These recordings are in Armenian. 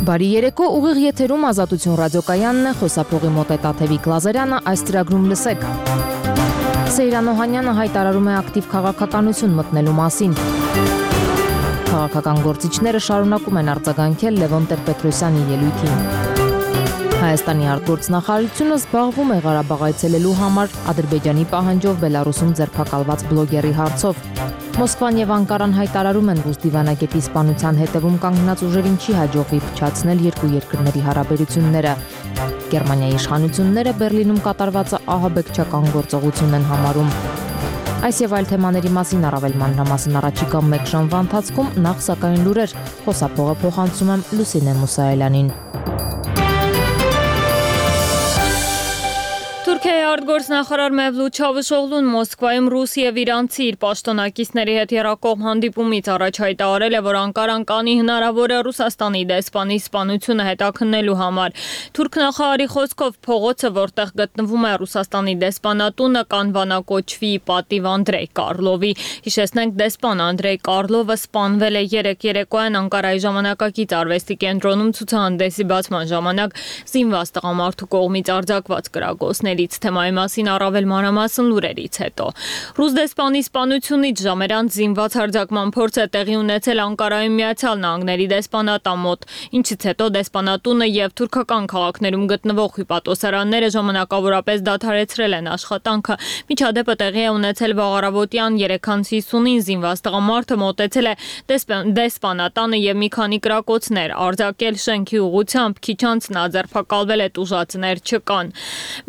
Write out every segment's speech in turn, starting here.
Բարի երեկո, ուղիղ եթերում Ազատություն ռադիոկայանն է, խոսափողի մոտ է Տաթևիկ Լազարյանը, այս ծրագրում լսեք։ Սեյրան Օհանյանը հայտարարում է ակտիվ քաղաքականություն մտնելու մասին։ Քաղաքական գործիչները շարունակում են արձագանքել Լևոն Տեր-Պետրոսյանի ելույթին։ Հայաստանի արտգործնախարարությունը զբաղվում է Ղարաբաղ այցելելու համար Ադրբեջանի պահանջով Բելարուսում ձերբակալված բլոգերի հարցով։ Մոսկվան եւ Անկարան հայտարարում են, որ դիվանագետի սպանության հետևում կանգնած ուժերին չի հաջողվի փչացնել երկու երկրների հարաբերությունները։ Գերմանիայի իշխանությունները Բերլինում կատարվածը ահաբեկչական գործողություն են համարում։ Այս եւ այլ թեմաների մասին առավել մանրամասն առաջիկա մեկ ժամվա ընթացքում, նախ սակայն լուրեր, խոսափողը փոխանցում եմ Լուսինե Մուսայելյանին։ Թուրքիայի արտգործնախարար Մևլութ Չավուշօղլուն Մոսկվայում ռուս եւ իրանցի իր պաշտոնակիցների հետ եռակողմ հանդիպումից առաջ հայտարարել է, որ Անկարան կանի հնարավոր է Ռուսաստանի դեսպանի սպանությունը հետաքննելու համար։ Թուրք նախարարի խոսքով փողոցը, որտեղ գտնվում է Ռուսաստանի դեսպանատունը, կանվանակոչվի պատիվ Անդրեյ Կարլովի։ Հիշեցնենք, դեսպան Անդրեյ Կարլովը սպանվել է երեկոյան Անկարայի ժամանակակից արվեստի կենտրոնում ցուցահանդեսի բացման ժամանակ զինված տղամարդու կողմից արձակված կրակոցների թեմայի մասին առավել մանրամասն լուրերից հետո։ Ռուս դեսպանի սպանությունից ժամեր անց զինված հարձակման փորձ է տեղի ունեցել Անկարայում Միացյալ Նահանգների դեսպանատան մոտ, ինչից հետո դեսպանատունը եւ թուրքական քաղաքներում գտնվող հյուպատոսարանները ժամանակավորապես դադարեցրել են աշխատանքը։ Միջադեպը տեղի է ունեցել վաղ առավոտյան 3:50-ին զինված տղամարդը մոտեցել է դեսպանատանը եւ մի քանի կրակոցներ արձակել շենքի ուղղությամբ, քիչ անց նա ձերբակալվել է, տուժածներ չկան։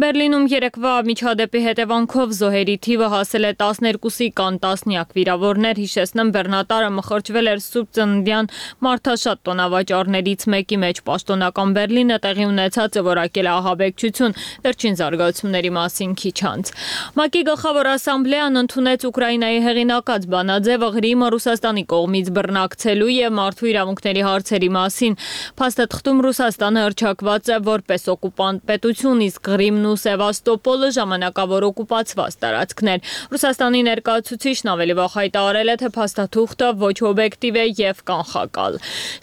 Բերլինում երեկվա միջադեպի հետևանքով զոհերի թիվը հասել է 12-ի, կան տասնյակ վիրավորներ։ Հիշեցնեմ, բեռնատարը մխրճվել էր Սուրբ Ծննդյան մարդաշատ տոնավաճառներից մեկի մեջ։ Պաշտոնական Բերլինը տեղի ունեցածը որակել է ահաբեկչություն, վերջին զարգացումների մասին քիչ անց։ ՄԱԿ-ի գլխավոր ասամբլեան ընդունեց Ուկրաինայի հեղինակած բանաձևը Ղրիմը Ռուսաստանի կողմից բռնակցելու եւ մարդու իրավունքների հարցերի մասին։ Փաստաթղթում Ռուսաստանը հռչակված է որպես օկուպանտ պետություն, իսկ Ղրիմն ու Սևաստոպոլը ժամանակավոր օկուպացված տարածքներ։ Ռուսաստանի ներկայացուցիչն ավելի վաղ հայտարարել է, թե փաստաթուղթը ոչ օբյեկտիվ է եւ կանխակալ։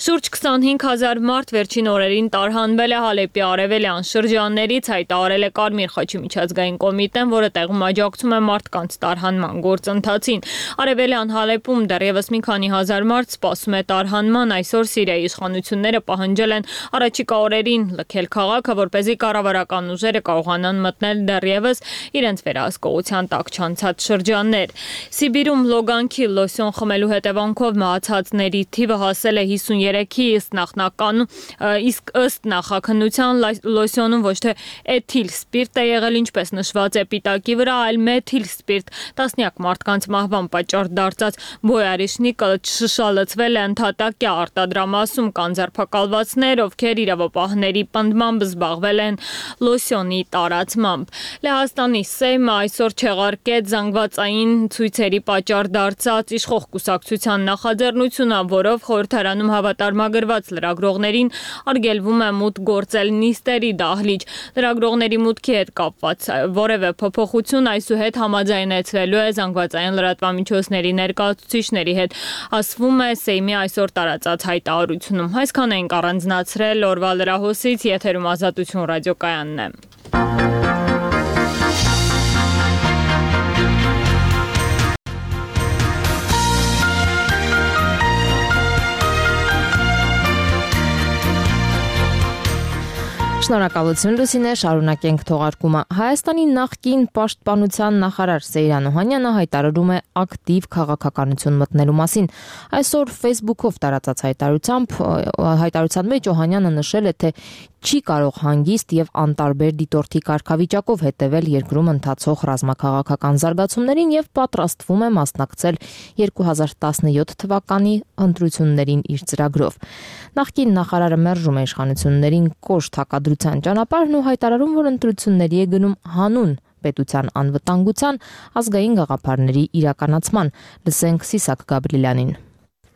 Շուրջ 25,000 մարդ վերջին օրերին տարհանվել է Հալեպի արևելյան շրջաններից, հայտարարել է Կարմիր խաչի միջազգային կոմիտեն, որը տեղում աջակցում է մարդկանց տարհանման գործընթացին։ Արևելյան Հալեպում դեռևս մի քանի հազար մարդ սպասում է տարհանման։ Այսօր Սիրիայի իշխանությունները պահանջել են առաջիկա օրերին լքել քաղաքը, որպեսզի կառավարական ուժերը կարողանան մտնել դեռևս իրենց վերահսկողության տակ չանցած շրջաններ։ Սիբիրում լոգանքի լոսյոն խմելու հետևանքով մահացածների թիվը հասել է 53-ի, իսկ ըստ նախաքննության լոսյոնում ոչ թե էթիլ սպիրտ է եղել, ինչպես նշված է պիտակի վրա, այլ մեթիլ սպիրտ։ Տասնյակ մարդկանց մահվան պատճառ դարձած բոյարիշնիկը շշալցվել է ընդհատակյա արտադրամասում, կան ձերբակալվածներ, ովքեր իրավապահների պնդմամբ զբաղվել են լոսյոնի տարածմամբ։ Լեհաստանի Սեյմը այսօր չեղարկեց զանգվածային ցույցերի պատճառ դարձած իշխող կուսակցության նախաձեռնությունը, որով խորհրդարանում հավատարմագրված լրագրողներին արգելվում է մուտք գործել նիստերի դահլիճ։ Լրագրողների մուտքի հետ կապված որևէ փոփոխություն այսուհետ համաձայնեցվելու է զանգվածային լրատվամիջոցների ներկայացուցիչների հետ, ասվում է Սեյմի այսօր տարածած հայտարարությունում։ Այսքան ենք առանձնացրել օրվա լրահոսից, եթերում Ազատություն ռադիոկայանն է։ Շնորհակալություն Լուսինե, շարունակենք թողարկումը։ Հայաստանի նախկին պաշտպանության նախարար Սեյրան Օհանյանը հայտարարում է ակտիվ քաղաքականություն մտնելու մասին։ Այսօր Facebook-ով տարածած հայտարարության մեջ Օհանյանը նշել է, թե չի կարող հանգիստ եւ անտարբեր դիտորդի կարգավիճակով հետևել երկրում ընթացող ռազմաքաղաքական զարգացումներին եւ պատրաստվում է մասնակցել 2017 թվականի ընտրություններին իր ծրագրով։ Նախկին նախարարը մերժում է իշխանություններին կոշտ հակադրության ճանապարհն ու հայտարարում, որ ընտրությունների է գնում հանուն պետության անվտանգության ազգային գաղափարների իրականացման։ Լսենք Սիսակ Գաբրիելյանին։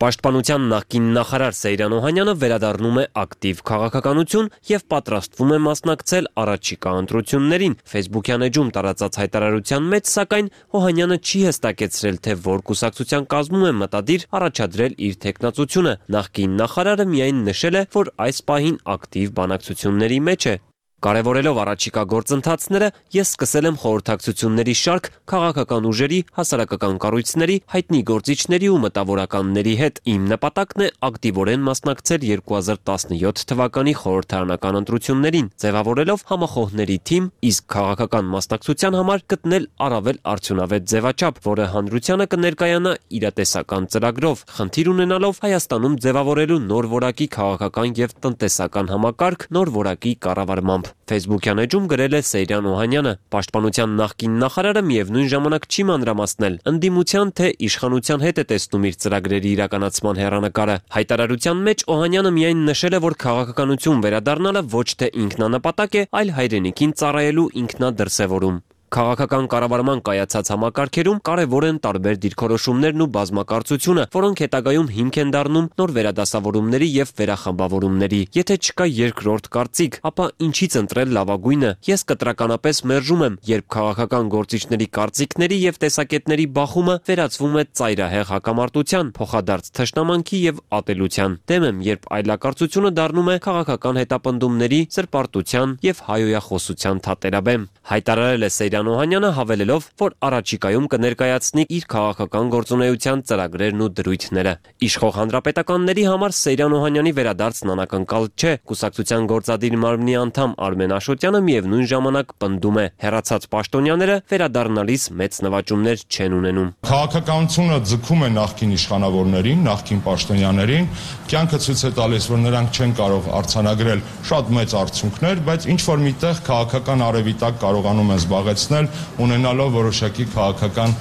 Պաշտպանության նախկին նախարար Սեյրան Օհանյանը վերադառնում է ակտիվ քաղաքականություն եւ պատրաստվում է մասնակցել առաջիկա ընտրություններին։ Facebook-յան էջում տարածած հայտարարության մեջ, սակայն Օհանյանը չի հստակեցրել, թե որ կուսակցության կազմում է մտադիր առաջադրել իր թեկնածությունը։ Նախկին նախարարը միայն նշել է, որ այս պահին ակտիվ բանակցությունների մեջ է։ Կարևորելով առաջիկա գործընթացները, ես սկսել եմ խորհրդակցությունների շարք քաղաքական ուժերի, հասարակական կառույցների, հայտնի գործիչների ու մտավորականների հետ։ Իմ նպատակն է ակտիվորեն մասնակցել 2017 թվականի խորհրդարանական ընտրություններին, ձևավորելով համախոհների թիմ, իսկ քաղաքական մասնակցության համար գտնել առավել արդյունավետ ձևաչափ, որը հանրությանը կներկայանա իրատեսական ծրագրով, խնդիր ունենալով Հայաստանում ձևավորելու նոր որակի քաղաքական եւ տնտեսական համակարգ, նոր որակի կառավարմամբ։ Facebook-յան էջում գրել է Սեյրան Օհանյանը։ Պաշտպանության նախկին նախարարը միևնույն ժամանակ չի մանրամասնել ընդդիմության թե իշխանության հետ է տեսնում իր ծրագրերի իրականացման հեռանկարը։ Հայտարարության մեջ Օհանյանը միայն նշել է, որ քաղաքականություն վերադառնալը ոչ թե ինքնանպատակ է, այլ հայրենիքին ծառայելու ինքնադրսևորում։ Քաղաքական կառավարման կայացած համակարգերում կարևոր են տարբեր դիրքորոշումներն ու բազմակարծությունը, որոնք հետագայում հիմք են դառնում նոր վերադասավորումների եւ վերախմբավորումների։ Եթե չկա երկրորդ կարծիք, ապա ինչից ընտրել լավագույնը։ Ես կտրականապես մերժում եմ, երբ քաղաքական գործիչների կարծիքների եւ տեսակետների բախումը վերածվում է ծայրահեղ հակամարտության, փոխադարձ թշնամանքի եւ ատելության։ Դեմ եմ, երբ այլակարծությունը դառնում է քաղաքական հետապնդումների, սրբարտության եւ հայոյախոսության թատերաբեմ։ Հայտարարել է Սեյրան Օհանյանը, հավելելով, որ առաջիկայում կներկայացնի իր քաղաքական գործունեության ծրագրերն ու դրույթները։ Իշխող հանրապետականների համար Սեյրան Օհանյանի վերադարձն անակնկալ չէ։ Կուսակցության գործադիր մարմնի անդամ Արմեն Աշոտյանը միևնույն ժամանակ պնդում է, հեռացած պաշտոնյաները վերադառնալիս մեծ նվաճումներ չեն ունենում։ Քաղաքականությունը ձգում է նախկին իշխանավորներին, նախկին պաշտոնյաներին, կյանքը ցույց է տալիս, որ նրանք չեն կարող արձանագրել շատ մեծ արդյունքներ, բայց ինչ որ միտեղ քաղաքական արևիտակ կարողանում են զբաղեցնել, ունենալով որոշակի քաղաքական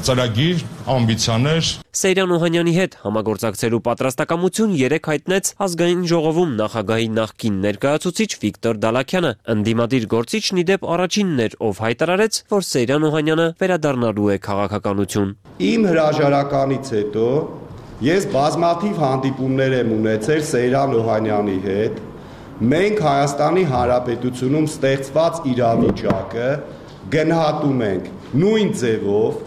ծրագիր, ամբիցիաներ։ Սեյրան Օհանյանի հետ համագործակցելու պատրաստակամություն երեկ հայտնեց Ազգային ժողովում նախագահի նախկին ներկայացուցիչ Վիկտոր Դալաքյանը։ Ընդդիմադիր գործիչն ի դեպ առաջինն էր, ով հայտարարեց, որ Սեյրան Օհանյանը վերադառնալու է քաղաքականություն։ Իմ հրաժարականից հետո ես բազմաթիվ հանդիպումներ եմ ունեցել Սեյրան Օհանյանի հետ։ Մենք Հայաստանի Հանրապետությունում ստեղծված իրավիճակը գնահատում ենք նույն ձևով,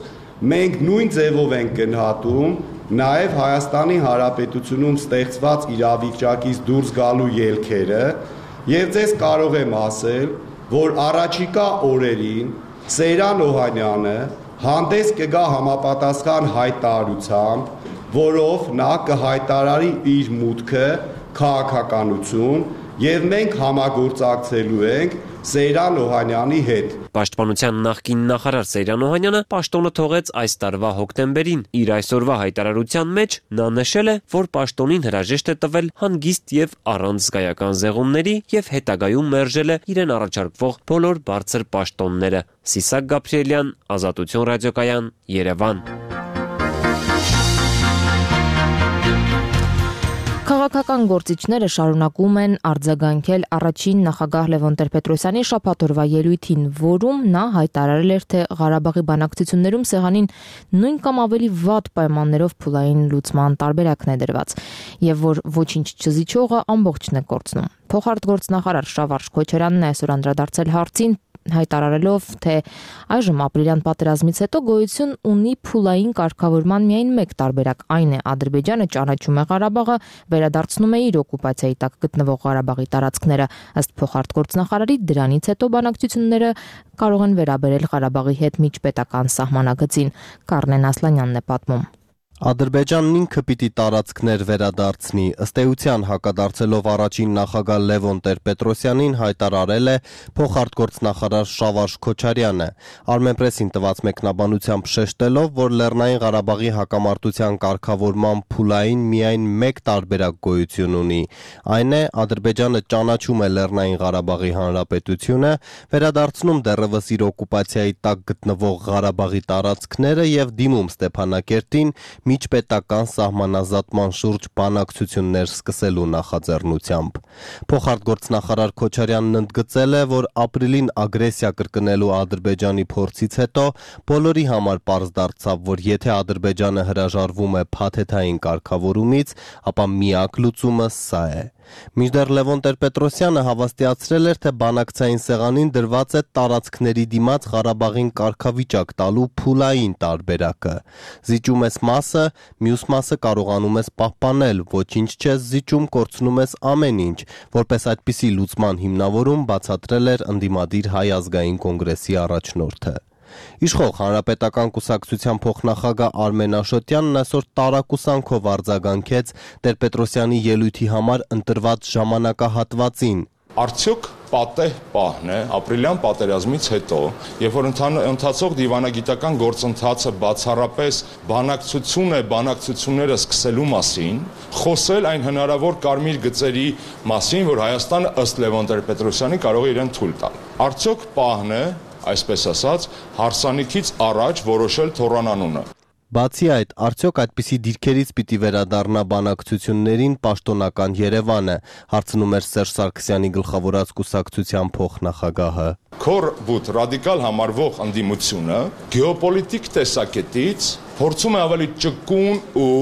մենք նույն ձևով ենք գնահատում նաև Հայաստանի Հանրապետությունում ստեղծված իրավիճակից դուրս գալու ելքերը եւ ձեզ կարող եմ ասել, որ առաջիկա օրերին Սեյրան Օհանյանը հանդես կգա համապատասխան հայտարարությամբ, որով նա կհայտարարի իր մուտքը քաղաքականություն եւ մենք համագործակցելու ենք Սեյրան Օհանյանի հետ։ Պաշտպանության նախկին նախարար Սեյրան Օհանյանը պաշտոնը թողեց այս տարվա հոկտեմբերին։ Իր այսօրվա հայտարարության մեջ նա նշել է, որ պաշտոնին հրաժեշտ է տվել հանգիստ եւ առանց զգայական զեղումների եւ հետագայում մերժել է իրեն առաջարկվող բոլոր բարձր պաշտոնները։ Սիսակ Գաբրիելյան, Ազատություն ռադիոկայան, Երևան։ Քաղաքական գործիչները շարունակում են արձագանքել առաջին նախագահ Լևոն Տեր-Պետրոսյանի շաբաթօրվա ելույթին, որում նա հայտարարել էր, թե Ղարաբաղի բանակցություններում սեղանին նույն կամ ավելի վատ պայմաններով փուլային լուծման տարբերակն է դրված, եւ որ ոչինչ չզիջողը ամբողջն է կորցնում։ Փոխարտգործնախարար Շավարժ Քոչարյանն այսօր անդրադարձել հարցին, հայտարարելով, թե այժմ ապրիլյան պատերազմից հետո գոյություն ունի փուլային կարգավորման միայն մեկ տարբերակ, այն է Ադրբեջանը ճանաչում է Ղարաբաղը, վերադարձնում է իր օկուպացիայի տակ գտնվող Ղարաբաղի տարածքները։ Ըստ փոխարտգործնախարարի, դրանից հետո բանակցությունները կարող են վերաբերել Ղարաբաղի հետ միջպետական սահմանագծին։ Կարնեն Ասլանյանն է պատմում։ Ադրբեջանն ինքը պիտի տարածքներ վերադարձնի, ըստ էության հակադարձելով առաջին նախագահ Լևոն Տեր-Պետրոսյանին հայտարարել է փոխարտգործնախարար Շավարժ Քոչարյանը, Armenpress-ին տված մեկնաբանությամբ շեշտելով, որ Լեռնային Ղարաբաղի հակամարտության կարգավորման փուլային միայն մեկ տարբերակ գոյություն ունի, այն է Ադրբեջանը ճանաչում է Լեռնային Ղարաբաղի Հանրապետությունը, վերադարձնում դեռևս իր օկուպացիայի տակ գտնվող Ղարաբաղի տարածքները եւ դիմում Ստեփանակերտին միջպետական սահմանազատման շուրջ բանակցություններ սկսելու նախաձեռնությամբ։ Փոխարտգործնախարար Քոչարյանն ընդգծել է, որ ապրիլին ագրեսիա կրկնելու Ադրբեջանի փորձից հետո բոլորի համար պարզ դարձավ, որ եթե Ադրբեջանը հրաժարվում է փաթեթային կարգավորումից, ապա միակ լուծումը սա է։ Մինչդեռ Լևոն Տեր-Պետրոսյանը հավաստիացրել էր, թե բանակցային սեղանին դրված է տարածքների դիմաց Ղարաբաղին կարգավիճակ տալու փուլային տարբերակը։ Զիջում ես մասը, մյուս մասը կարողանում ես պահպանել, ոչինչ չես զիջում, կորցնում ես ամեն ինչ, որպես այդպիսի լուծման հիմնավորում բացատրել էր ընդդիմադիր Հայ ազգային կոնգրեսի առաջնորդը։ Իշխող Հանրապետական կուսակցության փոխնախագահ Արմեն Աշոտյանն այսօր տարակուսանքով արձագանքեց Տեր-Պետրոսյանի ելույթի համար ընտրված ժամանակահատվածին։ Արդյոք պատեհ պահն է ապրիլյան պատերազմից հետո, երբ որ ընթացող դիվանագիտական գործընթացը բացառապես բանակցություն է բանակցությունները սկսելու մասին, խոսել այն հնարավոր կարմիր գծերի մասին, որ Հայաստանը ըստ Լևոն Տեր-Պետրոսյանի կարող է իրեն թույլ տալ։ Արդյոք պահն է, այսպես ասած, հարսանիքից առաջ որոշել թոռանանունը։ Բացի այդ, արդյոք այդպիսի դիրքերից պիտի վերադառնա բանակցություններին պաշտոնական Երևանը, հարցնում էր Սերժ Սարգսյանի գլխավորած կուսակցության փոխնախագահը։ Քորբութ ռադիկալ համարվող ընդդիմությունը գեոպոլիտիկ տեսակետից փորձում է ավելի ճկուն ու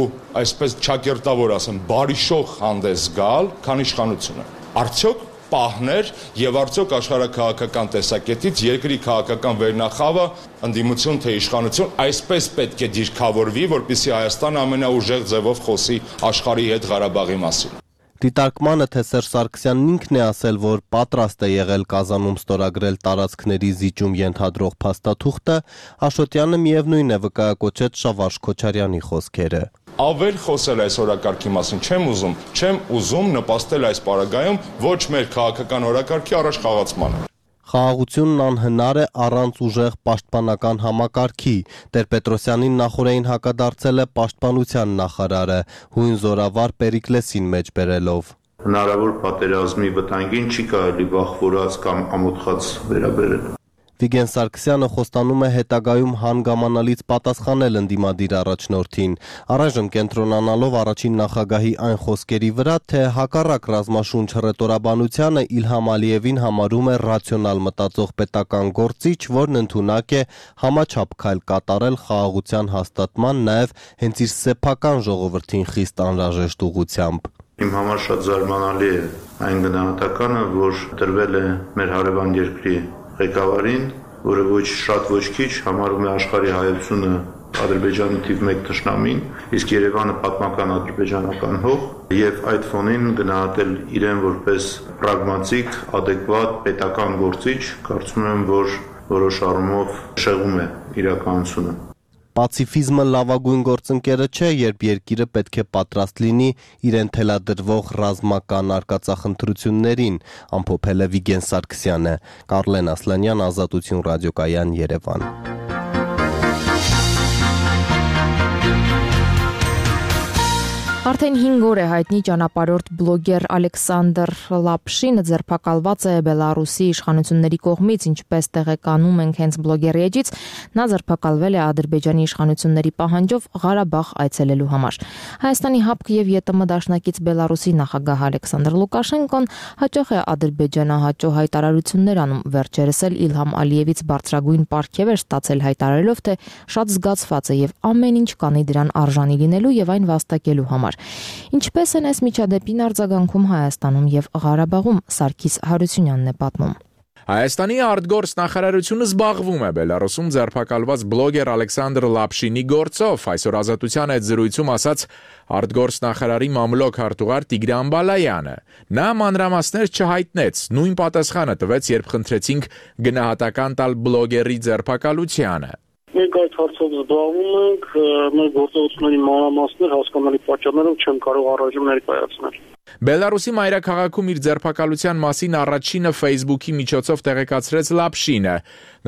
այսպես չակերտավոր ասեմ, բարիշող հանդես գալ, քան իշխանությունը։ Արդյոք պահներ եւ արդյոք աշխարհաքաղաքական տեսակետից երկրի քաղաքական վերնախավը ընդդիմություն թե իշխանություն այսպես պետք է դիրքավորվի, որպեսզի Հայաստանը ամենաուժեղ ձևով խոսի աշխարհի հետ Ղարաբաղի մասին։ Դիտարկմանը, թե Սերժ Սարգսյանն ինքն է ասել, որ պատրաստ է եղել Կազանում ստորագրել տարածքների զիջում ենթադրող փաստաթուղթը, Աշոտյանը միևնույն է վկայակոչեց Շավարժ Քոչարյանի խոսքերը։ Ավել խոսել այս օրակարգի մասին չեմ ուզում նպաստել այս պարագայում ոչ մեր քաղաքական օրակարգի առաջ խաղացմանը։ Խաղաղությունն անհնար է առանց ուժեղ պաշտպանական համակարգի։ Տեր-Պետրոսյանին նախորդին հակադարձել է պաշտպանության նախարարը, հույն զորավար Պերիկլեսին մեջ բերելով։ Հնարավոր պատերազմի վտանգին չի կարելի վախվորած կամ ամոթխած վերաբերել։ Վիգեն Սարգսյանը խոստանում է հետագայում հանգամանալից պատասխանել ընդդիմադիր առաջնորդին, առայժմ կենտրոնանալով առաջին նախագահի այն խոսքերի վրա, թե հակառակ ռազմաշունչ հռետորաբանությանը Իլհամ Ալիևին համարում է ռացիոնալ մտածող պետական գործիչ, որն ընդունակ է համաչափ քայլ կատարել խաղաղության հաստատման նաև հենց իր սեփական ժողովրդին խիստ անհրաժեշտ ուղղությամբ։ Իմ համար շատ զարմանալի է այն գնահատականը, որ տրվել է մեր հարևան երկրի ղեկավարին, որը ոչ շատ ոչ քիչ համարում է աշխարհի հայությունը Ադրբեջանի թիվ 1 թշնամին, իսկ Երևանը պատմական ադրբեջանական հող, եւ այդ ֆոնին գնահատել իրեն որպես պրագմատիկ, adekvat պետական գործիչ, կարծում եմ, որ որոշ առումով շեղում է իրականությունը։ Պացիֆիզմը լավագույն գործընկերը չէ, երբ երկիրը պետք է պատրաստ լինի իրեն թելադրվող ռազմական արկածախնդրություններին, ամփոփել է Վիգեն Սարգսյանը։ Կարլեն Ասլանյան, Ազատություն ռադիոկայան, Երևան։ Արդեն 5 օր է հայտնի ճանապարհորդ բլոգեր Ալեքսանդր Լապշինը ձերբակալված է Բելարուսի իշխանությունների կողմից, ինչպես տեղեկանում ենք հենց բլոգերի էջից, նա ձերբակալվել է Ադրբեջանի իշխանությունների պահանջով Ղարաբաղ այցելելու համար։ Հայաստանի ՀԱՊԿ եւ ԵՏՄ դաշնակից Բելարուսի նախագահ Ալեքսանդր Լուկաշենկոն հաճախ է ադրբեջանահաճո հայտարարություններ անում, վերջերս էլ Իլհամ Ալիևից բարձրագույն պարգև էր ստացել հայտարարելով, թե շատ զգացված է եւ ամեն ինչ կանի դրան արժանի լինելու եւ այն վաստակելու համար։ Ինչպես են այս միջադեպին արձագանքում Հայաստանում եւ Ղարաբաղում, Սարգիս Հարությունյանն է պատմում։ Հայաստանի արտգործ նախարարությունը զբաղվում է Բելարուսում ձերբակալված բլոգեր Ալեքսանդր Լապշինի գործով, այսօր Ազատության այդ զրույցում ասաց արտգործ նախարարի մամլոք հարտուղար Տիգրան Բալայանը։ Նա մանրամասներ չհայտնեց, նույն պատասխանը տվեց, երբ խնդրեցինք գնահատական տալ բլոգերի ձերբակալությանը։ Մենք այդ հարցով զբաղվում ենք, մեր գործողությունների մանրամասներ հասկանալի պատճառներով չեմ կարող առայժմ ներկայացնել։ Բելարուսի մայրաքաղաքում իր ձերբակալության մասին առաջինը Facebook-ի միջոցով տեղեկացրեց Լապշինը,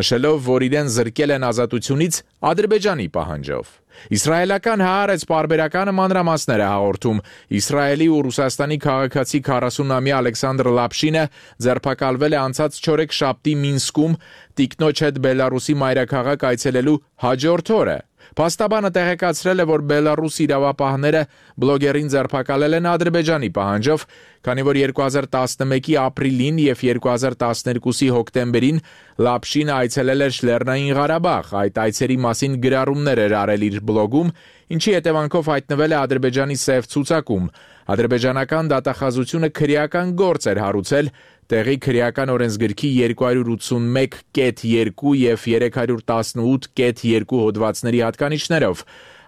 նշելով, որ իրեն զրկել են ազատությունից Ադրբեջանի պահանջով։ Իսրայելական Հaaretz պարբերականը մանրամասներ է հաղորդում։ Իսրայելի ու Ռուսաստանի քաղաքացի 40-ամյա Ալեքսանդր Լապշինը ձերբակալվել է անցած չորեքշաբթի Մինսկում տիկնոջ հետ Բելարուսի մայրաքաղաք այցելելու հաջորդ օրը։ Փաստաբանը տեղեկացրել է, որ Բելարուս իրավապահները բլոգերին ձերբակալել են Ադրբեջանի պահանջով, քանի որ 2011-ի ապրիլին եւ 2012-ի հոկտեմբերին Լապշինը այցելել էր Լեռնային Ղարաբաղ, այդ այցերի մասին գրառումներ էր արել իր բլոգում, ինչի հետևանքով հայտնվել է Ադրբեջանի սև ցուցակում։ Ադրբեջանական դատախազությունը քրեական գործ էր հարուցել տեղի քրեական օրենսգրքի 281.2 եւ 318.2 հոդվածների հատկանիշներով։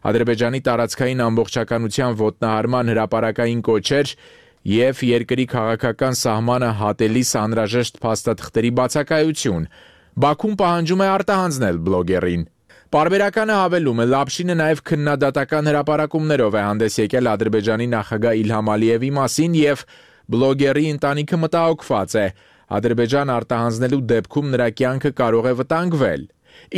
Ադրբեջանի տարածքային ամբողջականության ոտնահարման հրապարակային կոչեր եւ երկրի քաղաքական սահմանը հատելիս անհրաժեշտ փաստաթղթերի բացակայություն։ Բաքուն պահանջում է արտահանձնել բլոգերին։ Պարբերականը հավելում է, Լապշինը նաև քննադատական հրապարակումներով է հանդես եկել Ադրբեջանի նախագահ Իլհամ Ալիևի մասին եւ բլոգերի ընտանիքը մտահոգված է։ Ադրբեջան արտահանձնելու դեպքում նրա կյանքը կարող է վտանգվել։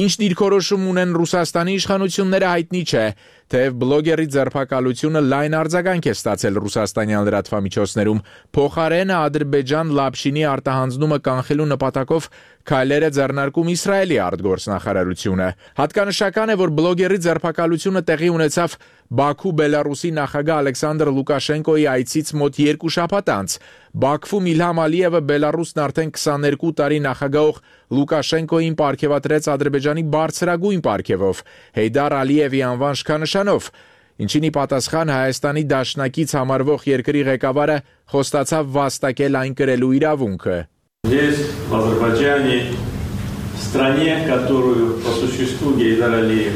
Ինչ դիրքորոշում ունեն Ռուսաստանի իշխանությունները հայտնի չէ, թեև բլոգերի ձերբակալությունը լայն արձագանք է ստացել ռուսաստանյան լրատվամիջոցներում։ Փոխարենը Ադրբեջան Լապշինի արտահանձնումը կանխելու նպատակով քայլեր է ձեռնարկում Իսրայելի արտգործնախարարությունը։ Հատկանշական է, որ բլոգերի ձերբակալությունը տեղի ունեցավ Բաքու Բելարուսի նախագահ Ալեքսանդր Լուկաշենկոյի այցից մոտ 2 շաբաթ անց։ Բաքվում Իլհամ Ալիևը Բելարուսն արդեն 22 տարի նախագահող Լուկաշենկոյին պարգևատրեց Ադրբեջանի բարձրագույն պարգևով Հեյդար Ալիևի անվան շքանշանով, ինչին ի պատասխան Հայաստանի դաշնակից համարվող երկրի ղեկավարը խոստացավ վաստակել այն կրելու իրավունքը։ Здесь, в Азербайджане, стране, которую по существу Гейдар Алиев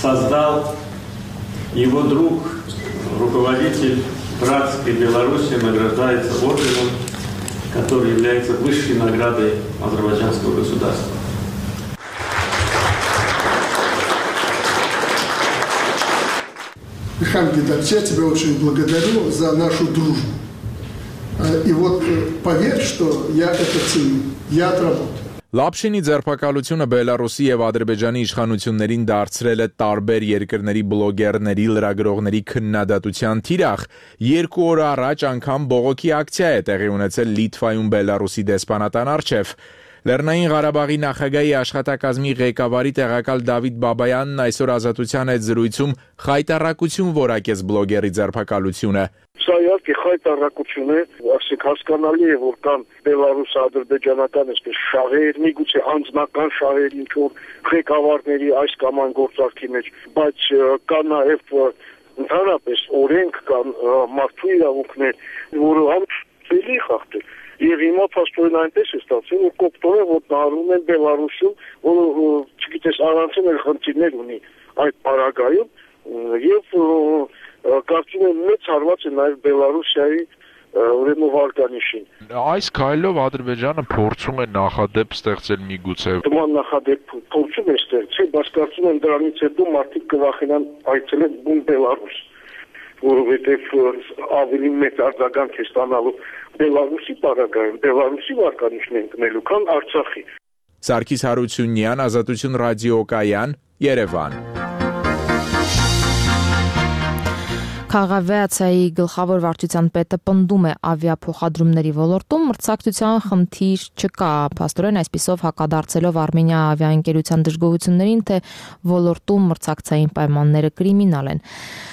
создал, его друг, руководитель братской Беларуси, награждается орденом, который является высшей наградой азербайджанского государства. Михаил Гайдарович, я тебя очень благодарю за нашу дружбу. И вот поверь, что я это ценю. Я отработаю. Լապշինի ձերբակալությունը Բելարուսի եւ Ադրբեջանի իշխանություններին դարձրել է տարբեր երկրների բլոգերների, լրագրողների քննադատության թիրախ։ 2 օր առաջ անգամ բողոքի ակցիա է տեղի ունեցել Լիտվայում Բելարուսի դեսպանատան առջև։ Լեռնային Ղարաբաղի նախագահի աշխատակազմի ղեկավարի տեղակալ Դավիթ Բաբայանն այսօր Ազատության հետ զրույցում խայտառակություն որակեց բլոգերի ձերբակալությունը։ Սա իհարկե խայտառակություն է, ասենք հասկանալի է, որ կան բելարուս-ադրբեջանական այսպես շահեր, միգուցե անձնական շահեր ինչ-որ ղեկավարների այս կամ այն գործարքի մեջ, բայց կա նաև ընդհանրապես օրենք, կան մարդու իրավունքներ, որը համելի խախտել։ Եվ հիմա փաստորեն այնպես է ստացվել, որ կոպտորը ոտնահարում են Բելարուսում, որը չգիտես առանցին էլ խնդիրներ ունի այդ պարագայում, եւ կարծում եմ մեծ հարված է նաև Բելարուսիայի ուրեմն վարկանիշին։ Այս քայլով Ադրբեջանը փորձում է նախադեպ ստեղծել միգուցե։ Նման նախադեպ փորձում է ստեղծել, բայց կարծում եմ դրանից հետո մարդիկ կվախենան այցելել բուն Բելարուս, որովհետև ավելի մեծ արձագանք է ստանալու Բելարուսի պարագայում, Բելարուսի վարկանիշն են գնելու, քան Արցախի։ Սարգիս Հարությունյան, Ազատություն ռադիոկայան, Երևան։ Քաղաքավիացիայի գլխավոր վարչության պետը պնդում է ավիափոխադրումների ոլորտում մրցակցության խնդիր չկա, փաստորեն այսպիսով հակադարձելով Արմենիա ավիաընկերության դժգոհություններին, թե ոլորտում մրցակցային պայմանները կրիմինալ են։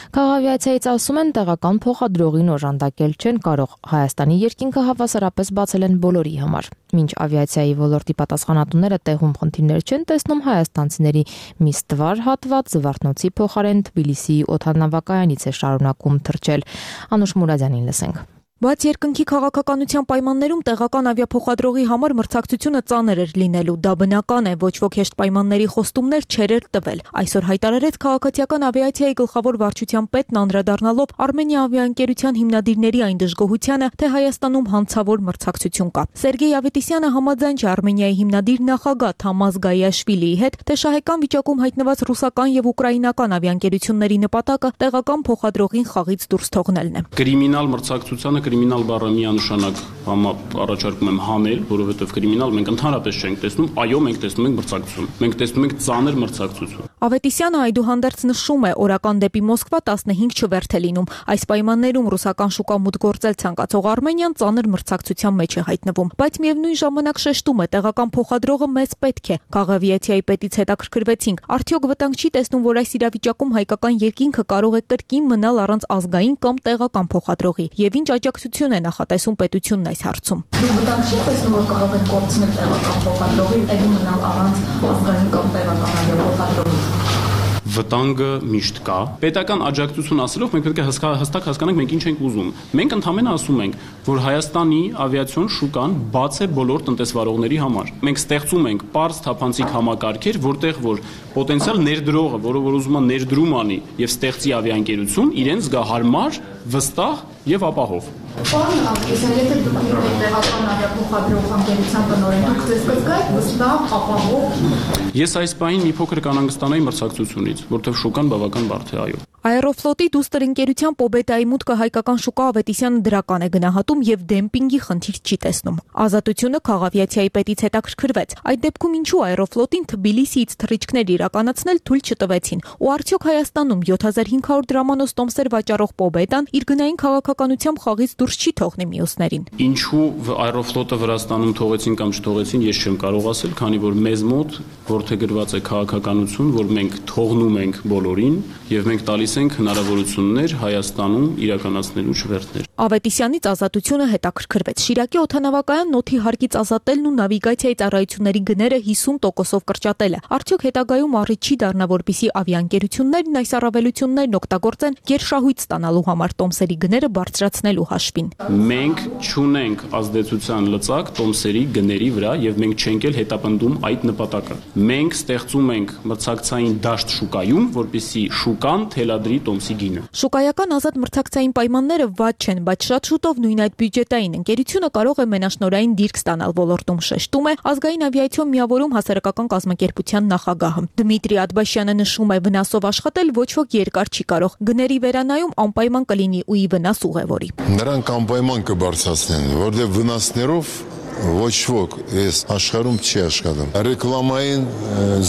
Քաղաքավիացիայից ասում են տեղական փոխադրողին օժանդակել չեն կարող։ Հայաստանի երկինքը հավասարապես բացել են բոլորի համար։ Մինչ ավիացիայի ոլորտի պատասխանատուները տեղում խնդիրներ չեն տեսնում, հայաստանցիների մի ստվար հատված Զվարթնոցի փոխարեն Թբիլիսիի օդանավակայանից է շարունակում թռչել։ Անուշ Մուրադյանին լսենք։ Բայց երկնքի քաղաքականության պայմաններում տեղական ավիափոխադրողի համար մրցակցությունը ծանր էր լինելու։ Դա բնական է, ոչ ոք հեշտ պայմանների խոստումներ չէր տվել։ Այսօր հայտարարեց քաղաքացիական ավիացիայի գլխավոր վարչության պետն անդրադառնալով Արմենիա ավիաընկերության հիմնադիրների այն դժգոհությանը, թե Հայաստանում հանցավոր մրցակցություն կա։ Սերգեյ Ավետիսյանը համաձայն չէ Արմենիայի հիմնադիր նախագահ Թամազ Գայաշվիլիի հետ, թե շահեկան վիճակում հայտնված ռուսական եւ ուկրաինական ավիաընկերությունների նպատակը տեղական փոխադրողին խաղից դուրս թողնելն է։ Կրիմինալ մրցակցությանը կրիմինալ բառը միանշանակ առաջարկում եմ հանել, որովհետև կրիմինալ մենք ընդհանրապես չենք տեսնում, այո, մենք տեսնում ենք մրցակցություն։ Մենք տեսնում ենք ծանր մրցակցություն։ Ավետիսյանը այդուհանդերձ նշում է, օրական դեպի Մոսկվա 15 չվերթ է լինում։ Այս պայմաններում ռուսական շուկա մուտք գործել ցանկացող Արմենիան ծանր մրցակցության մեջ է հայտնվում, բայց միևնույն ժամանակ շեշտում է, տեղական փոխադրողը մեծ պետք է։ Քաղավիացիայի պետից հետաքրքրվեցինք, արդյոք վտանգ չի տեսնում, որ այս իրավիճակում հայկական երկինքը կարող է կրկին մնալ առանց ազգային կամ տեղական փոխադրողի, եւ ինչ աջակցություն է նախատեսում պետությունն այս հարցում։ Դու վտանգ չի տեսնում, որ կարող են կորցնել տեղական փոխադրողի, տեղի մնալ առանց ազգային կամ տեղական փոխադրողի։ Վտանգը միշտ կա։ Պետական աջակցություն ասելով մենք պետք է հստակ հասկանանք մենք ինչ ենք ուզում։ Մենք ընդհանրապես ասում ենք, որ Հայաստանի ավիացիոն շուկան բաց է բոլոր տնտեսվարողների համար։ Մենք ստեղծում ենք པարզ թափանցիկ համակարգեր, որտեղ որ պոտենցիալ ներդրողը, որը որ ուզում է ներդրում անի եւ ստեղծի ավիաընկերություն, իրեն զգա հարմար, վստահ եւ ապահով։ Պարոն Ալեքսան, եթե դուք եք տեղական ավիափոխադրող ընկերության տնօրեն, դուք ձեզ կզգայիք վստահ, ապահով։ Ես այս պահին մի փոքր կանհանգստանայի մրցակցությունից, որտեղ շուկան բավական բարդ է, այո։ Aeroflot-ի դուստր ընկերության Պոբետայի մուտքը հայկական շուկա Ավետիսյանը դրական է գնահատում եւ դեմպինգի խնդիր չի տեսնում։ Ազատությունը քաղավիացիայի պետից հետաքրքրվեց։ Այդ դեպքում ինչու Aeroflot-ին Թբիլիսիից թռիչքներ իրականացնել թույլ չտվեցին։ Ու արդյոք Հայաստանում 7500 դրամանոց տոմսեր վաճառող Պոբետան իր գնային քաղաքականությամբ խաղից դուրս չի թողնի մյուսներին։ Ինչու Aeroflot-ը Վրաստանում թողեցին կամ չթողեցին, ես չեմ կարող ասել, քանի որ մեզ մոտ որդեգրված է քաղաքականություն, որ մենք թողնում ենք բոլորին եւ մենք տալիս ենք հնարավորություններ Հայաստանում իրականացնելու չվերթներ։ Ավետիսյանից ազատությունը հետաքրքրվեց։ Շիրակի օդանավակայան նոթի հարկից ազատելն ու նավիգացիայի ծառայությունների գները 50%-ով կրճատելը։ Արդյոք հետագայում առիթ չի դառնա, որպիսի ավիաընկերություններն այս առավելություններն օգտագործեն գերշահույթ ստանալու համար տոմսերի գները բարձրացնելու հաշվին։ Մենք չունենք ազդեցության լծակ տոմսերի գների վրա եւ մենք չենք էլ հետապնդում այդ նպատակը։ Մենք ստեղծում ենք մրցակցային դաշտ շուկայում, որպիսի շուկան թելադրի տոմսի գինը։ Շուկայական ազատ մրցակցային պայմանները վատ չեն, բայց շատ շուտով նույն այդ բյուջետային ընկերությունը կարող է մենաշնորհային դիրք ստանալ ոլորտում, շեշտում է ազգային ավիացիոն միավորում հասարակական կազմակերպության նախագահը։ Դմիտրի Ադբաշյանը նշում է, վնասով աշխատել ոչ ոք երկար չի կարող։ Գների վերանայում անպայման կլինի ու ի վնաս ուղևորի։ Նրանք անպայման կբարձրացնեն, որտեղ վնասներով ոչ ոք այս աշխարհում չի աշխատում։ Ռեկլամային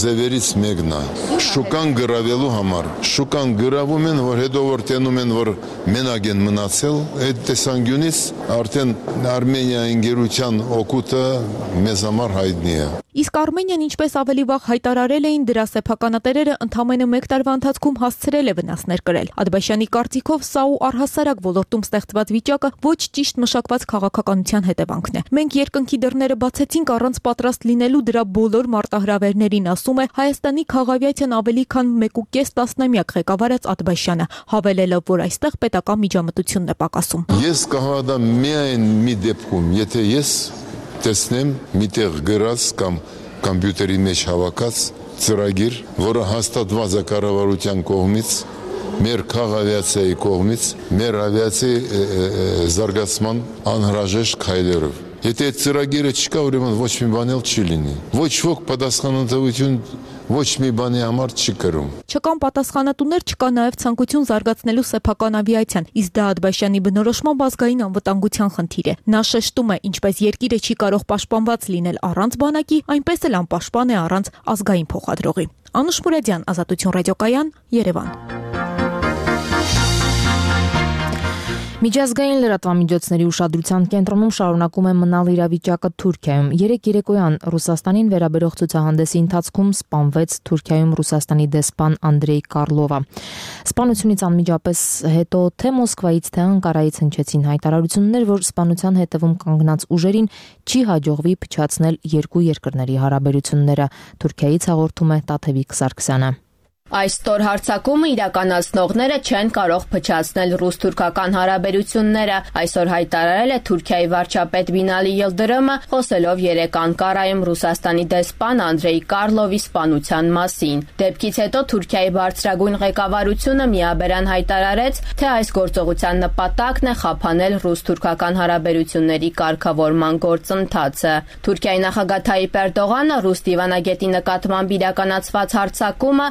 ձևերից մեկն է շուկան գրավելու համար։ Շուկան գրավում են, որ հետո որ տենում են, որ մենակ են մնացել, այդ տեսանկյունից արդեն Արմենիա ընկերության օգուտը մեզ համար հայտնի է։ Իսկ Արմենիան ինչպես ավելի վաղ հայտարարել էին, դրա սեփականատերերը ընդամենը 1 տարվա ընթացքում հասցրել է վնասներ կրել։ Ադբաշյանի կարծիքով սա ու առհասարակ ոլորտում ստեղծված վիճակը ոչ ճիշտ մշակված քաղաքականության հետևանքն է։ Մենք երկնքի դռները բացեցինք առանց պատրաստ լինելու դրա բոլոր մարտահրավերներին, ասում է Հայաստանի քաղավիացիան ավելի քան 1.5 տասնամյակ ղեկավարած Ադբաշյանը, հավելելով, որ այստեղ պետական միջամտությունն է պակասում։ Ես կհավատամ միայն մի դեպքում, եթե ես տեսնեմ միտեղ գրած կամ կոմպյուտերի մեջ հավաքած ծրագիր, որը հաստատված է կառավարության կողմից, մեր քաղավիացիայի կողմից, մեր ավիացիայի զարգացման անհրաժեշտ քայլերով։ Եթե այդ ծրագիրը չկա, ուրեմն ոչ մի բան էլ չի լինի։ Ոչ ոք պատասխանատվություն ոչ մի բանի համար չի կրում։ Չկան պատասխանատուներ, չկա նաև ցանկություն զարգացնելու սեփական ավիացիան, իսկ դա Ադբաշյանի բնորոշմամբ ազգային անվտանգության խնդիր է։ Նա շեշտում է, ինչպես երկիրը չի կարող պաշտպանված լինել առանց բանակի, այնպես էլ անպաշտպան է առանց ազգային փոխադրողի։ Անուշ Մուրադյան, Ազատություն ռադիոկայան, Երևան։ Միջազգային լրատվամիջոցների ուշադրության կենտրոնում շարունակում է մնալ իրավիճակը Թուրքիայում։ Երեկ երեկոյան Ռուսաստանին վերաբերող ցուցահանդեսի ընթացքում սպանվեց Թուրքիայում Ռուսաստանի դեսպան Անդրեյ Կարլովը։ Սպանությունից անմիջապես հետո թե Մոսկվայից, թե Անկարայից հնչեցին հայտարարություններ, որ սպանության հետևում կանգնած ուժերին չի հաջողվի փչացնել երկու երկրների հարաբերությունները։ Թուրքիայից հաղորդում է Տաթևիկ Սարգսյանը։ Այս ստոր հարձակումը իրականացնողները չեն կարող փչացնել ռուս-թուրքական հարաբերությունները, այսօր հայտարարել է Թուրքիայի վարչապետ Բինալի Յիլդրըմը, խոսելով երեկ Անկարայում Ռուսաստանի դեսպան Անդրեյ Կարլովի սպանության մասին։ Դեպքից հետո Թուրքիայի բարձրագույն ղեկավարությունը միաբերան հայտարարեց, թե այս գործողության նպատակն է խափանել ռուս-թուրքական հարաբերությունների կարգավորման գործընթացը։ Թուրքիայի նախագահ Թայիպ Էրդողանը ռուս դիվանագետի նկատմամբ իրականացված հարձակումը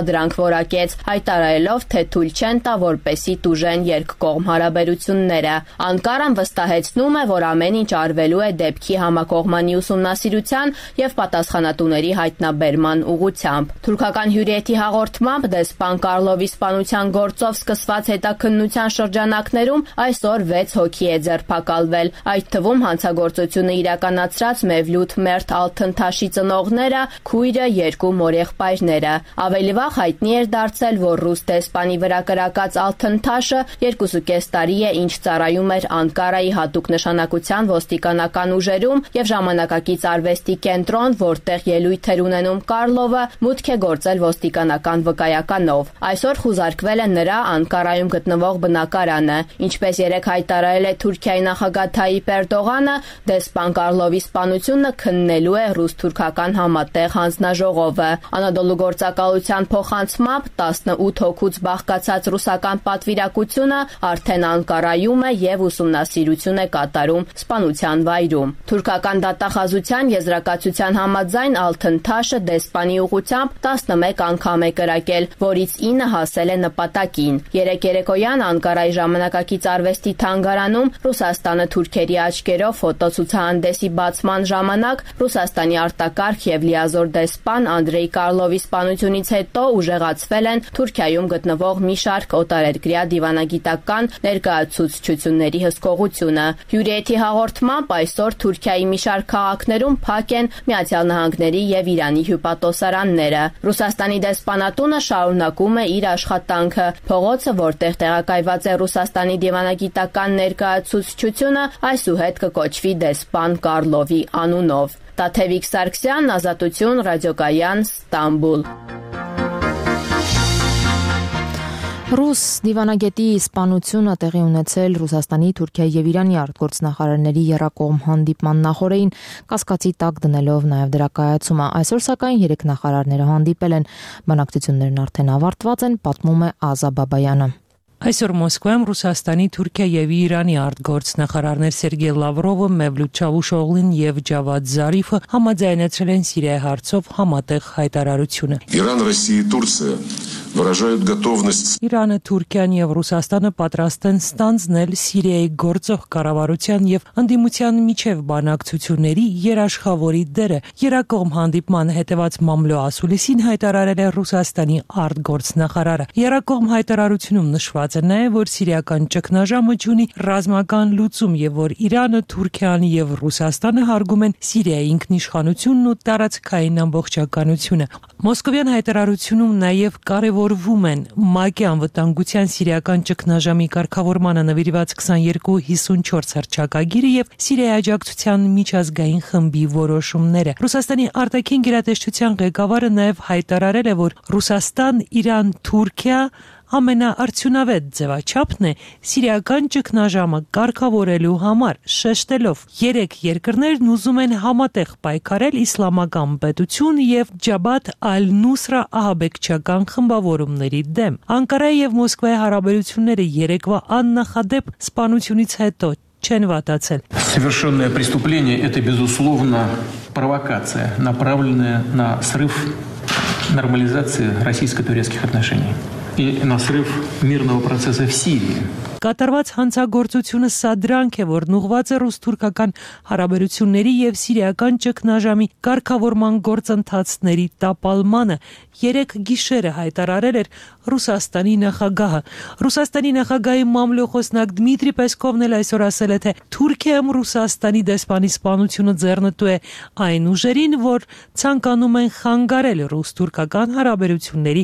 սադրանք որակեց, հայտարարելով, թե թույլ չեն տա, որպեսզի տուժեն երկկողմ հարաբերությունները։ Անկարան վստահեցնում է, որ ամեն ինչ արվելու է դեպքի համակողմանի ուսումնասիրության եւ պատասխանատուների հայտնաբերման ուղղությամբ։ Թուրքական հյուրիեթի հաղորդմամբ դեսպան Կարլովի սպանության գործով սկսված հետաքննության շրջանակներում այսօր 6 հոգի է ձերբակալվել, այդ թվում հանցագործությունը իրականացրած Մևլութ Մերթ Ալթընթաշի ծնողները, քույրը, 2 մորեղբայրները։ Ավելի վաղ հայտնի էր դարձել, որ ռուս դեսպանի վրա կրակած Ալթընթաշը 2.5 տարի է, ինչ ծառայում էր Անկարայի հատուկ նշանակության ոստիկանական ուժերում եւ ժամանակակից արվեստի կենտրոն, որտեղ ելույթ էր ունենում Կարլովը, մուտք է գործել ոստիկանական վկայականով։ Այսօր խուզարկվել է նրա Անկարայում գտնվող բնակարանը։ Ինչպես երեկ հայտարարել է Թուրքիայի նախագահ Թայիպ Էրդողանը, դեսպան Կարլովի սպանությունը քննելու է ռուս-թուրքական համատեղ հանձնաժողովը։ Անադոլու գործակալության փոխանցմամբ 18 հոգուց բաղկացած ռուսական պատվիրակությունը արդեն Անկարայում է եւ ուսումնասիրություն է կատարում սպանության վայրում։ Թուրքական դատախազության եզրակացության համաձայն Ալթընթաշը դեսպանի ուղղությամբ 11 անգամ է կրակել, որից 9 հասել է նպատակին։ Երեկ երեկոյան Անկարայի ժամանակակից արվեստի թանգարանում Ռուսաստանը թուրքերի աչքերով ֆոտոցուցահանդեսի բացման ժամանակ Ռուսաստանի արտակարգ եւ լիազոր դեսպան Անդրեյ Կարլովի սպանությունից հետո ուժեղացվել են Թուրքիայում գտնվող մի շարք օտարերկրյա դիվանագիտական ներկայացուցչությունների հսկողությունը։ Հյուրիեթի հաղորդմամբ այսօր Թուրքիայի մի շարք քաղաքներում փակ են Միացյալ Նահանգների եւ Իրանի հյուպատոսարանները։ Ռուսաստանի դեսպանատունը շարունակում է իր աշխատանքը։ Փողոցը, որտեղ տեղակայված է Ռուսաստանի դիվանագիտական ներկայացուցչությունը, այսուհետ կկոչվի դեսպան Կարլովի անունով։ Տաթևիկ Սարգսյան, Ազատություն, ռադիոկայան, Ստամբուլ։ Ռուս դիվանագետի սպանությունը տեղի ունեցել Ռուսաստանի, Թուրքիայի եւ Իրանի արտգործնախարարների եռակողմ հանդիպման նախօրեին կասկածի տակ դնելով նաեւ դրա կայացումը։ Այսօր սակայն 3 նախարարները հանդիպել են։ Բանակցություններն արդեն ավարտված են, պատմում է Ազա Բաբայանը։ Այսօր Մոսկվայում Ռուսաստանի, Թուրքիայի եւ Իրանի արտգործնախարարներ Սերգեյ Լավրովը, Մևլութ Չավուշօղլին եւ Ջավադ Զարիֆը համաձայնեցրել են Սիրիայի հարցով համատեղ հայտարարությունը։ Իրան, Ռոսիա, Թուրքիա выражают готовность Իրանը, Թուրքիան եւ Ռուսաստանը պատրաստ են ստանձնել Սիրիայի գործող կառավարության եւ ընդդիմության միջև բանակցությունների երաշխավորի դերը։ Երակողմ հանդիպման հետևած մամլո ասուլիսին հայտարարել է Ռուսաստանի արտգործնախարարը։ Երակողմ հայտարարությունում նշված է նաեւ, որ սիրիական ճգնաժամը ունի ռազմական լուծում եւ որ Իրանը, Թուրքիան եւ Ռուսաստանը հարգում են Սիրիայի ինքնիշխանությունն ու տարածքային ամբողջականությունը։ Մոսկովյան հայտարարությունում նաեւ կարևորվում են ՄԱԿ-ի անվտանգության սիրիական ճգնաժամի կարգավորմանը նվիրված 2254 հռչակագիրը եւ Սիրիայի աջակցության միջազգային խմբի որոշումները։ Ռուսաստանի արտաքին գերատեսչության ղեկավարը նաեւ հայտարարել է, որ Ռուսաստան, Իրան, Թուրքիա ամենաարդյունավետ ձևաչափն է սիրիական ճգնաժամը կարգավորելու համար, շեշտելով. 3 երկրներն ուզում են համատեղ պայքարել իսլամական պետություն եւ Ջաբհաթ ալ-Նուսրա ահաբեկչական խմբավորումների դեմ։ Անկարայի եւ Մոսկվայի հարաբերությունները երեկվա աննախադեպ սպանությունից հետո չեն վատացել։ Совершенное преступление это безусловно провокация, направленная на срыв нормализации российско-турецких отношений и на срыв мирного процесса в Сирии. Կատարված հանցագործությունը սադրանք է, որն ուղղված է ռուս-թուրքական հարաբերությունների եւ սիրիական ճգնաժամի կարգավորման գործընթացների տապալմանը։ 3 գիշերը հայտարարել էր Ռուսաստանի նախագահը։ Ռուսաստանի նախագահի մամլոխոսնակ Դմիտրի Պեսկովն էլ այսօր ասել է, թե Թուրքիայում Ռուսաստանի դեսպանի սպանությունը ձեռնտու է այն ուժերին, որ ցանկանում են խանգարել ռուս-թուրքական հարաբերությունների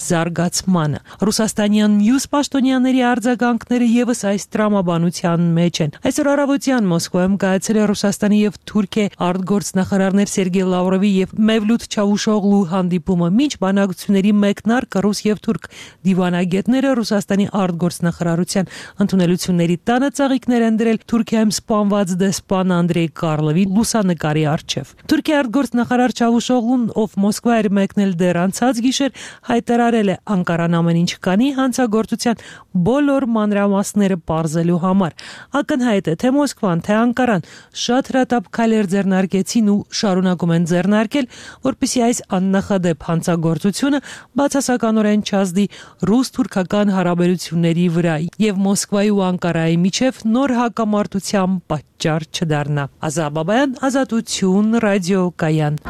զարգացմանը։ Ռուսաստանյան մյուս պաշտոնյաների արձագանքները եւս այս տրամաբանության մեջ են։ Այսօր առավոտյան Մոսկվայում կայացել է Ռուսաստանի եւ Թուրքիայի արտգործնախարարներ Սերգեյ Լավրովի եւ Մևլութ Չավուշօղլու հանդիպումը։ Մինչ բանակցությունների մեկնարկը ռուս եւ թուրք դիվանագետները Ռուսաստանի արտգործնախարարության ընդունելությունների տանը ծաղիկներ են դրել Թուրքիայում սպանված դեսպան Անդրեյ Կարլովի լուսանկարի առջև։ Թուրքիայի արտգործնախարար Չավուշօղլուն, ով Մոսկվա էր մեկնել դեռ անցած գիշեր, հայտարարել է Անկարան ամեն ինչ կանի հանցագործության բոլոր մանրամասները մանրամասները պարզելու համար։ Ակնհայտ է, թե Մոսկվան, թե Անկարան շատ հրատապ քայլեր ձեռնարկեցին ու շարունակում են ձեռնարկել, որպեսզի այս աննախադեպ հանցագործությունը բացասականորեն չազդի ռուս-թուրքական հարաբերությունների վրա եւ Մոսկվայի ու Անկարայի միջև նոր հակամարտության պատճառ չդառնա։ Ազա Բաբայան, Ազատություն, Ռադիո Կայան։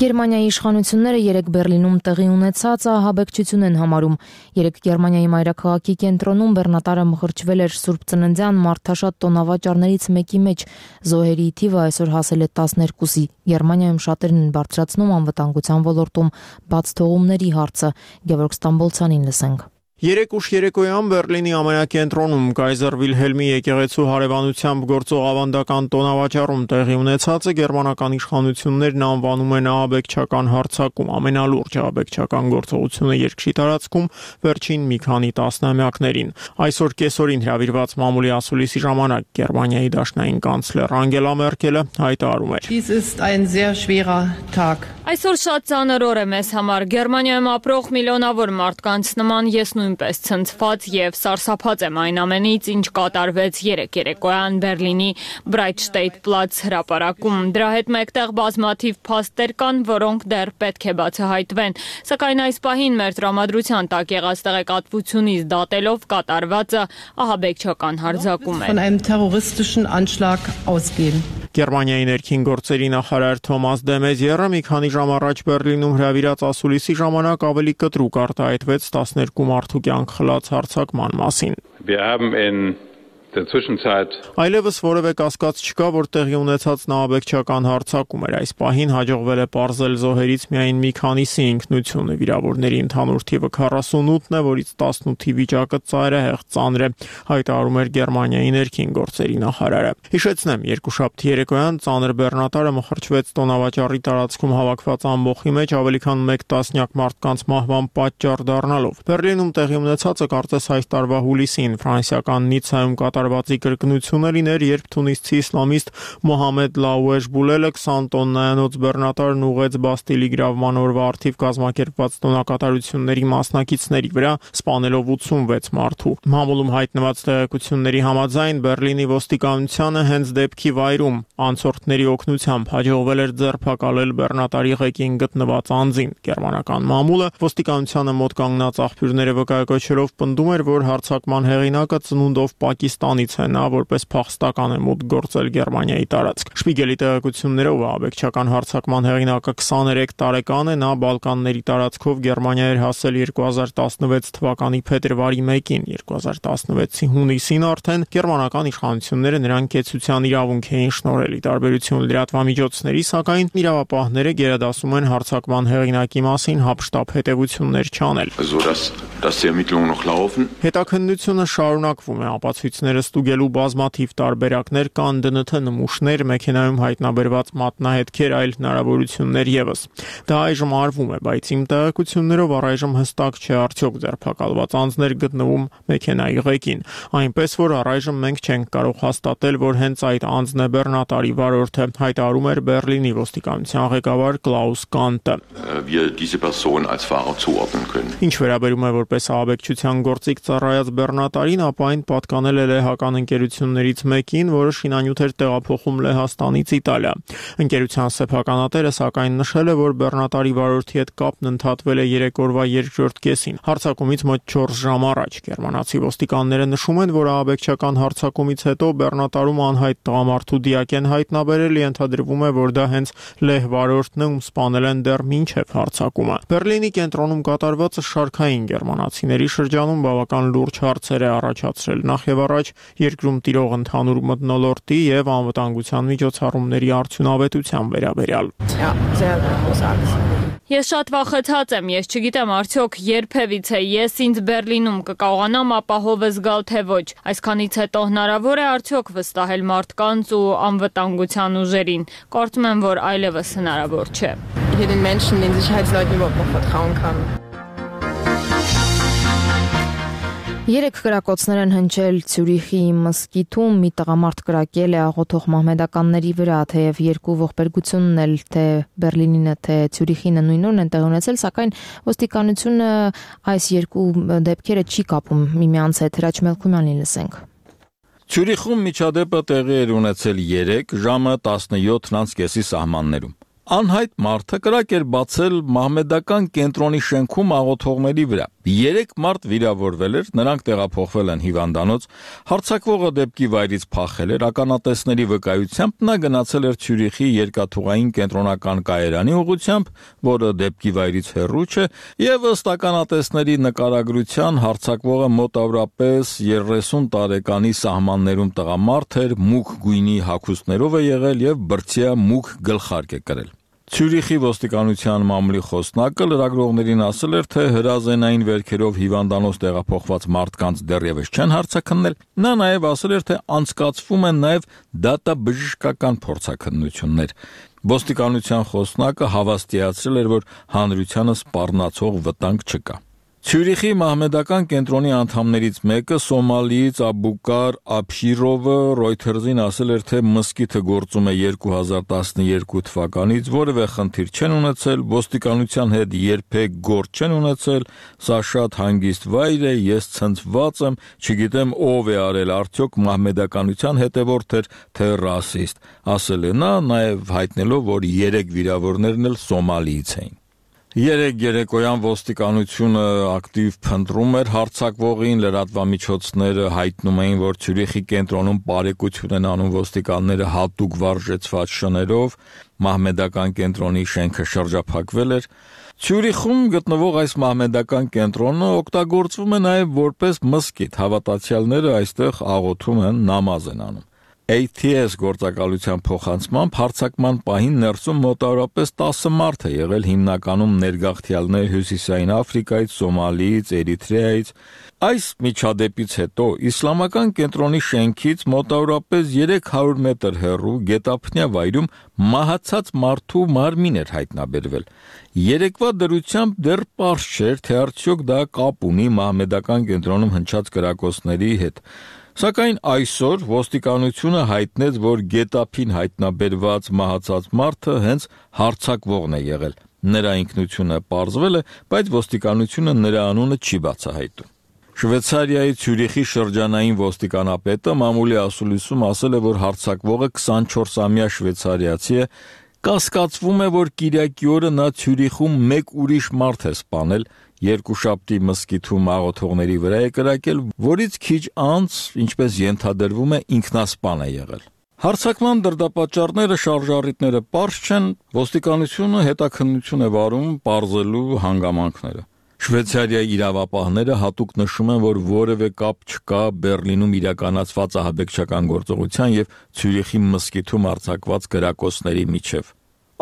Գերմանիայի իշխանությունները երեկ Բերլինում տեղի ունեցած ահաբեկչություն են համարում։ Երեկ Գերմանիայի մայրաքաղաքի կենտրոնում բեռնատարը մխրճվել էր Սուրբ Ծննդյան մարդաշատ տոնավաճառներից մեկի մեջ։ Զոհերի թիվը այսօր հասել է 12-ի։ Գերմանիայում շատերն են բարձրացնում անվտանգության ոլորտում բաց թողումների հարցը։ Գևորգ Ստամբոլցյանին լսենք։ Երեկ ուշ երեկոյան Բերլինի ամենակենտրոնում Կայզեր Վիլհելմի եկեղեցու հարևանությամբ գործող ավանդական տոնավաճառում տեղի ունեցածը գերմանական իշխանություններն անվանում են ահաբեկչական հարձակում, ամենալուրջ ահաբեկչական գործողությունը երկրի տարածքում վերջին մի քանի տասնամյակներին։ Այսօր կեսօրին հրավիրված մամուլի ասուլիսի ժամանակ Գերմանիայի դաշնային կանցլեր Անգելա Մերկելը հայտարարում էր. Այսօր շատ ծանր օր է մեզ համար։ Գերմանիայում ապրող միլիոնավոր մարդկանց նման ես նույնպես ցնցված եւ սարսափած եմ այն ամենից, ինչ կատարվեց երեկ երեկոյան Բերլինի Breitscheidplatz հրապարակում։ Դրա հետ մեկտեղ բազմաթիվ փաստեր կան, որոնք դեռ պետք է բացահայտվեն։ Սակայն այս պահին մեր տրամադրության տակ եղած տեղեկատվությունից դատելով կատարվածը ահաբեկչական հարձակում է։ Գերմանիայի ներքին գործերի նախարար Թոմաս դե Մեզիերը մի քանի ժամ առաջ Բերլինում հրավիրած ասուլիսի ժամանակ ավելի կտրուկ արտահայտվեց 12 մարդու կյանք խլած հարձակման մասին։ Այլևս որևէ կասկած չկա, որ տեղի ունեցած ահաբեկչական հարձակում էր։ Այս պահին հաջողվել է պարզել զոհերից միայն մի քանիսի ինքնությունը։ Վիրավորների ընդհանուր թիվը 48-ն է, որից 18-ի վիճակը ծայրահեղ ծանր է, հայտարարում էր Գերմանիայի ներքին գործերի նախարարը։ Հիշեցնեմ, երկուշաբթի երեկոյան ծանր բեռնատարը մխրճվեց տոնավաճառի տարածքում հավաքված ամբոխի մեջ ավելի քան 1 տասնյակ մարդկանց մահվան պատճառ դառնալով։ Բերլինում տեղի ունեցածը կարծես այս տարվա հուլիսին ֆրանսիական Նիցայում կատարվածի կրկնությունը լիներ, երբ թունիսցի իսլամիստ Մոհամեդ Լաուեժ Բուլելը 20 տոննայանոց բեռնատարն ուղեց Բաստիլի գրավման օրվա արդիվ կազմակերպված տոնակատարությունների մասնակիցների վրա, սպանելով 86 մարդու։ Մամուլում հայտնված տեղեկությունների համաձայն Բերլինի ոստիկանությանը հենց դեպքի վայրում անցորդների օգնությամբ հաջողվել էր ձերբակալել բեռնատարի ղեկին գտնված անձին։ Գերմանական մամուլը ոստիկանությանը մոտ կանգնած աղբյուրները վկայակոչելով պնդում էր, որ հարձակման հեղինակը ծնունդով Պակիստանից է, նա որպես փախստական է մուտք գործել Գերմանիայի տարածք։ Շպիգելի տեղեկություններով ահաբեկչական հարձակման հեղինակը 23 տարեկան է, նա Բալկանների տարածքով Գերմանիա էր հասել 2016 թվականի փետրվարի 1-ին, 2016-ի հունիսին արդեն գերմանական իշխանությունները նրան կեցության իրավունք էին շնորհել։ Ի տարբերություն լրատվամիջոցների, սակայն իրավապահները գերադասում են հարձակման հեղինակի մասին հապշտապ հետևություններ չանել։ Հետաքննությունը շարունակվում է, ապացույցները ստուգելու բազմաթիվ տարբերակներ կան, ԴՆԹ նմուշներ, մեքենայում հայտնաբերված մատնահետքեր, այլ հնարավորություններ եւս։ Դա այժմ արվում է, բայց իմ տեղեկություններով առայժմ հստակ չէ արդյոք ձերբակալված անձներ գտնվում մեքենայի ղեկին, այնպես որ առայժմ մենք չենք կարող հաստատել, որ հենց այդ անձն է բեռնատարի վարորդը, հայտարարում էր Բերլինի ոստիկանության ղեկավար Կլաուս Կանտը։ Ինչ վերաբերում է որպես ահաբեկչության գործիք ծառայած բեռնատարին, ապա այն պատկանել է լեհական ընկերություններից մեկին, որը շինանյութ էր տեղափոխում Լեհաստանից Իտալիա։ Ընկերության սեփականատերը սակայն նշել է, որ բեռնատարի վարորդի հետ կապն ընդհատվել է 3 օրվա երկրորդ կեսին, հարձակումից մոտ 4 ժամ առաջ։ Գերմանացի ոստիկանները նշում են, որ ահաբեկչական հարձակումից հետո բեռնատարում անհայտ տղամարդու դիակ են հայտնաբերել, ենթադրվում է, որ դա հենց լեհ վարորդն է, ում սպանել են դեռ մինչև հարձակումը։ Բերլինի կենտրոնում կատարվածը շարքային գերմանացիների շրջանում բավական լուրջ հարցեր է առաջացրել, նախ եւ առաջ երկրում տիրող ընդհանուր մթնոլորտի եւ անվտանգության միջոցառումների արդյունավետության վերաբերյալ։ Ես շատ վախեցած եմ, ես չգիտեմ արդյոք երբևիցե ես ինձ Բերլինում կկարողանամ ապահով զգալ թե ոչ։ Այսքանից հետո հնարավոր է արդյոք վստահել մարդկանց ու անվտանգության ուժերին։ Կարծում եմ, որ այլևս հնարավոր չէ։ Երեք կրակոցներ են հնչել Ցյուրիխի մզկիթում, մի տղամարդ կրակել է աղոթող մահմեդականների վրա, թեև երկու ողբերգությունն էլ թե Բերլինինը, թե Ցյուրիխինը նույն օրն են տեղի ունեցել, սակայն ոստիկանությունը այս երկու դեպքերը չի կապում միմյանց հետ։ Հրաչ Մելքումյանին լսենք։ Ցյուրիխում միջադեպը տեղի էր ունեցել 3 ժամը 17:30 սահմաններում։ Անհայտ մարդը կրակ էր բացել մահմեդական կենտրոնի շենքում աղոթողների վրա։ 3 մարդ վիրավորվել էր, նրանք տեղափոխվել են հիվանդանոց, հարձակվողը դեպքի վայրից փախել էր, ականատեսների վկայությամբ նա գնացել էր Ցյուրիխի երկաթուղային կենտրոնական կայարանի ուղղությամբ, որը դեպքի վայրից հեռու չէ, եւ ըստ ականատեսների նկարագրության հարձակվողը մոտավորապես 30 տարեկանի սահմաններում տղամարդ էր, մուգ գույնի հագուստներով է եղել եւ բրձյա մուգ գլխարկ է կրել։ Ցյուրիխի ոստիկանության մամուլի խոսնակը լրագրողներին ասել էր, թե հրազենային վերքերով հիվանդանոց տեղափոխված մարդկանց դեռևս չեն հարցաքննել։ Նա նաև ասել էր, թե անցկացվում են նաև դատաբժշկական փորձաքննություններ։ Ոստիկանության խոսնակը հավաստիացրել էր, որ հանրությանը սպառնացող վտանգ չկա։ Ցյուրիխի մահմեդական կենտրոնի անդամներից մեկը Սոմալիից Աբուկար Աբշիրովը Reuters-ին ասել էր, թե մզկիթը գործում է 2012 թվականից, որևէ խնդիր չեն ունեցել, ոստիկանության հետ երբեք գործ չեն ունեցել, սա շատ հանգիստ վայր է, ես ցնցված եմ, չգիտեմ ով է արել, արդյոք մահմեդականության հետևորդ էր, թե ռասիստ, ասել է նա, նաև հայտնելով, որ 3 վիրավորներն էլ Սոմալիից էին։ Երեկոյան ոստիկանությունը ակտիվ փնտրում էր հարձակվողին, լրատվամիջոցները հայտնում էին, որ Ցյուրիխի կենտրոնում բարեկություն են անում ոստիկանները հատուկ վարժեցված շներով, մահմեդական կենտրոնի շենքը շրջափակվել էր։ Ցյուրիխում գտնվող այս մահմեդական կենտրոնը օգտագործվում է նաև որպես մզկիթ, հավատացյալները այստեղ աղոթում են, նամազ են անում։ ATS գործակալության փոխանցմամբ հարձակման պահին ներսում մոտավորապես 10 մարդ է եղել, հիմնականում ներգաղթյալներ Հյուսիսային Աֆրիկայից, Սոմալիից, Էրիթրեայից։ Այս միջադեպից հետո իսլամական կենտրոնի շենքից մոտավորապես 300 մետր հեռու գետափնյա վայրում մահացած մարդու մարմին էր հայտնաբերվել։ Երեկվա դրությամբ դեռ պարզ չէր, թե արդյոք դա կապ ունի մահմեդական կենտրոնում հնչած կրակոցների հետ։ Սակայն այսօր ոստիկանությունը հայտնեց, որ գետափին հայտնաբերված մահացած մարդը հենց հարձակվողն է եղել։ Նրա ինքնությունը պարզվել է, բայց ոստիկանությունը նրա անունը չի բացահայտում։ Շվեյցարիայի Ցյուրիխի շրջանային ոստիկանապետը մամուլի ասուլիսում ասել է, որ հարձակվողը 24-ամյա շվեյցարիացի է, կասկածվում է, որ կիրակի օրը նա Ցյուրիխում մեկ ուրիշ մարդ է սպանել, երկուշաբթի մզկիթում աղոթողների վրա է կրակել, որից քիչ անց, ինչպես ենթադրվում է, ինքնասպան է եղել։ Հարձակման դրդապատճառները, շարժառիթները պարզ չեն, ոստիկանությունը հետաքննություն է վարում պարզելու հանգամանքները։ Շվեյցարիայի իրավապահները հատուկ նշում են, որ որևէ կապ չկա Բերլինում իրականացված ահաբեկչական գործողության եւ Ցյուրիխի մզկիթում արձակված կրակոցների միջև։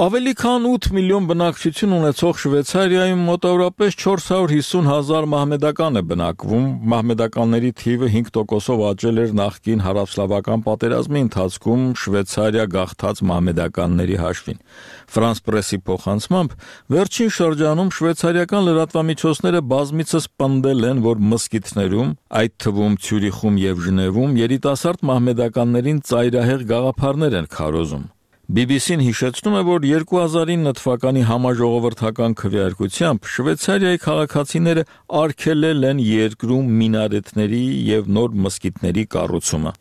Ավելի քան 8 միլիոն բնակչություն ունեցող Շվեյցարիայում մոտավորապես 450,000 մահմեդական է բնակվում, մահմեդականների թիվը 5%-ով աճել էր նախկին հարավսլավական պատերազմի ընթացքում Շվեյցարիա գաղթած մահմեդականների հաշվին։ Ֆրանս պրեսի փոխանցմամբ վերջին շրջանում շվեյցարիական լրատվամիջոցները բազմիցս պնդել են, որ մզկիթներում, այդ թվում Ցյուրիխում եւ Ժնևում, երիտասարդ մահմեդականներին ծայրահեղ գաղափարներ են քարոզում։ BBC-ն հիշեցնում է, որ 2009 թվականի համաժողովրդական քվեարկությամբ Շվեյցարիայի քաղաքացիները արգելել են երկրում մինարետների եւ նոր մզկիթների կառուցումը։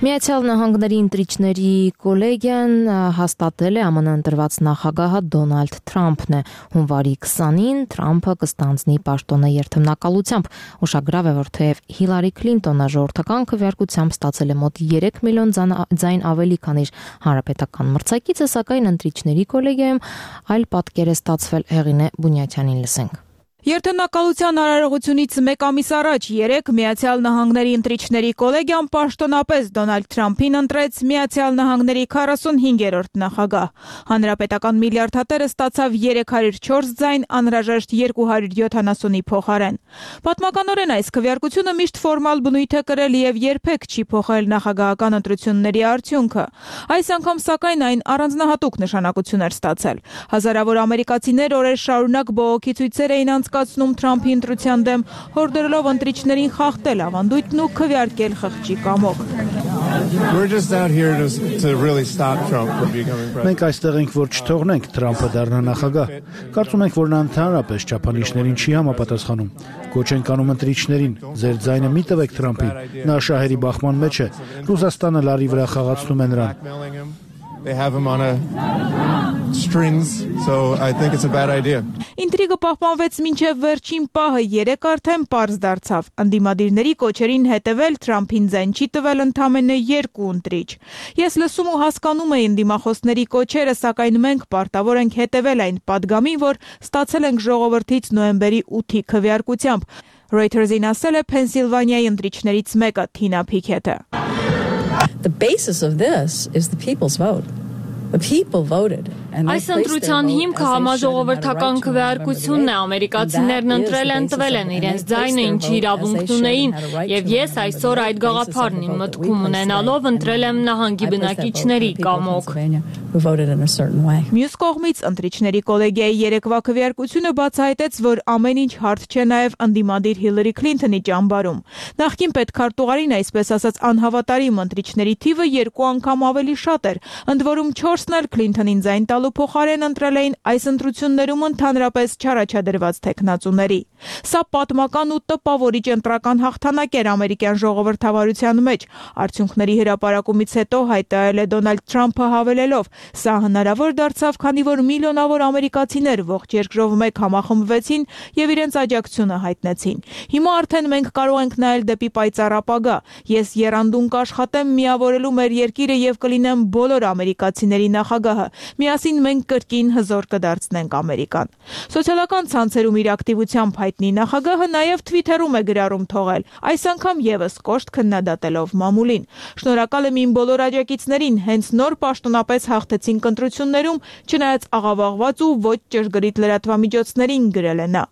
Միացյալ Նահանգների ընտրիչների կոլեգիան հաստատել է ԱՄՆ ընտրված նախագահը Դոնալդ Թրամփն է։ Հունվարի 20-ին Թրամփը կստանձնի պաշտոնը երթմնակալությամբ։ Ուշագրավ է, որ թեև Հիլարի Քլինտոնը ժողովրդական քվեարկությամբ ստացել է մոտ 3 միլիոն ձայն ավելի, քան իր հանրապետական մրցակիցը, սակայն ընտրիչների կոլեգիայում այլ պատկեր է ստացվել։ Հեղինե Բունյաթյանին լսենք։ Երթնակալության արարողությունից մեկ ամիս առաջ 3 Միացյալ Նահանգների ընտրիչների կոլեգիան պաշտոնապես Դոնալդ Թրամփին ընտրեց Միացյալ Նահանգների 45-րդ նախագահ։ Հանրապետական միլիարդատերը ստացավ 304 ձայն, անհրաժեշտ 270-ի փոխարեն։ Պատմականորեն այս քվեարկությունը միշտ ֆորմալ բնույթ է կրել եւ երբեք չի փոխել նախագահական ընտրությունների արդյունքը։ Այս անգամ սակայն այն առանձնահատուկ նշանակություն էր ստացել։ Հազարավոր ամերիկացիներ օրեր շարունակ բողոքի ցույցեր էին կասկածնում Թրամփի ընտրության դեմ, հորդորելով ընտրիչներին խախտել ավանդույթն ու քվեարկել խղճի կամոք։ Մենք այստեղ ենք, որ չթողնենք Թրամփը դառնա նախագահ։ Կարծում ենք, որ նա ընդհանրապես չափանիշներին չի համապատասխանում։ Կոչ ենք անում ընտրիչներին, ձեր ձայնը մի տվեք Թրամփին, նա շահերի բախման մեջ է։ Ռուսաստանը լարի վրա խաղացնում է նրան։ They have him on strings, so I think it's a bad idea. Ինտրիգը պահպանվեց մինչև վերջին պահը, երեկ արդեն պարզ դարձավ։ Անդիմադիրների կոչերին հետևել Թրամփին ձայն չի տվել ընդամենը 2 ընտրիչ։ Ես լսում ու հասկանում եմ դիմախոսների կոչերը, սակայն մենք պարտավոր ենք հետևել այն падգամին, որ ստացել ենք ժողովրդից նոյեմբերի 8-ի քվեարկությամբ։ Reuters-ին ասել է Փենսիլվանիայի ընտրիչներից մեկը Թինա Փիքեթը։ The basis of this is the people's vote. The people voted. Այս ընտրության հիմքը համաժողովրդական քվեարկությունն է, ամերիկացիներն ընտրել են, տվել են իրենց ձայնը, ինչի իրավունք ունեին, եւ ես այսօր այդ գաղափարն իմ մտքում ունենալով ընտրել եմ նահանգի բնակիչների կամոք։ Մյուս կողմից ընտրիչների կոլեգիայի երեկվա քվեարկությունը բացահայտեց, որ ամեն ինչ հարթ չէ նաեւ անդիմադիր Հիլարի Քլինթոնի ճամբարում։ Նախկին պետքարտուղարին, այսպես ասած, անհավատարիմ ընտրիչների թիվը 2 անգամ ավելի շատ էր, ընդ որում 4-ն էլ Քլինթոնին ձայն տալու փոխարեն ընտրել էին այս ընտրություններում ընդհանրապես չառաջադրված թեկնածուների։ Սա պատմական ու տպավորիչ ընտրական հաղթանակ էր ամերիկյան ժողովրդավարության մեջ։ Արդյունքների հրապարակումից հետո հայտարարել է Դոնալդ Թրամփը հավելելով. «Սա հնարավոր դարձավ, քանի որ միլիոնավոր ամերիկացիներ ողջ երկրով մեկ համախմբվեցին եւ իրենց աջակցությունը հայտնեցին։ Հիմա արդեն մենք կարող ենք նայել դեպի պայծառ ապագա։ Ես եռանդուն կաշխատեմ միավորելու մեր երկիրը եւ կլինեմ բոլոր ամերիկացիների նախագահը։ Միասին մենք կրկին հզոր կդարձնենք Ամերիկան»։ Սոցիալական ցանցերում իր ակտիվությամբ հայտնի նախագահը նաև Twitter-ում է գրառում թողել, այս անգամ եւս կոշտ քննադատելով մամուլին։ Շնորհակալ եմ իմ բոլոր աջակիցներին, հենց նոր պաշտոնապես հաղթեցինք ընտրություններում, չնայած աղավաղված ու ոչ ճշգրիտ լրատվամիջոցներին, գրել է նա։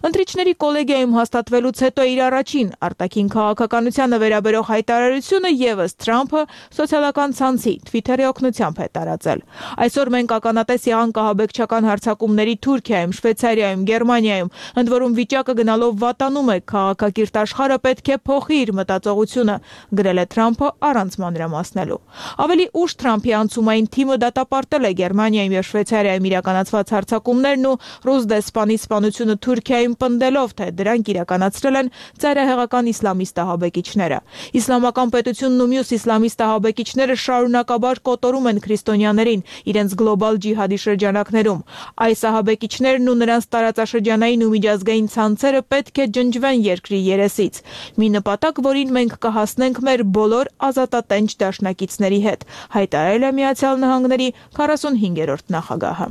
Ընտրիչների կոլեգիայում հաստատվելուց հետո իր առաջին արտաքին քաղաքականությանը վերաբերող հայտարարությունը եւս Թրամփը սոցիալական ցանցի Twitter-ի օգնությամբ է տարածել։ Այսօր մենք ականատես եղանք ահաբեկչական հարձակումների Թուրքիայում, Շվեյցարիայում, Գերմանիայում, ընդ որում վիճակը գնալով վատանում է, քաղաքակիրթ աշխարհը պետք է փոխի իր մտածողությունը, գրել է Թրամփը առանց մանրամասնելու։ Ավելի ուշ Թրամփի անցումային թիմը դատապարտել է Գերմանիայում եւ Շվեյցարիայում իրականացված հարձակումներն ու ռուս դեսպանի սպանությունը Թուրքիայում պնդելով, թե դրանք իրականացրել են ծայրահեղական իսլամիստ ահաբեկիչները։ Իսլամական պետությունն ու մյուս իսլամիստ ահաբեկիչները շարունակաբար կոտորում են քրիստոնյաներին իրենց գլոբալ ջիհադի շրջանակներում։ Այս ահաբեկիչներն ու նրանց տարածաշրջանային ու միջազգային ցանցերը պետք է ջնջվեն երկրի երեսից։ Մի նպատակ, որին մենք կհասնենք մեր բոլոր ազատատենչ դաշնակիցների հետ, հայտարարել է Միացյալ Նահանգների 45-րդ նախագահը։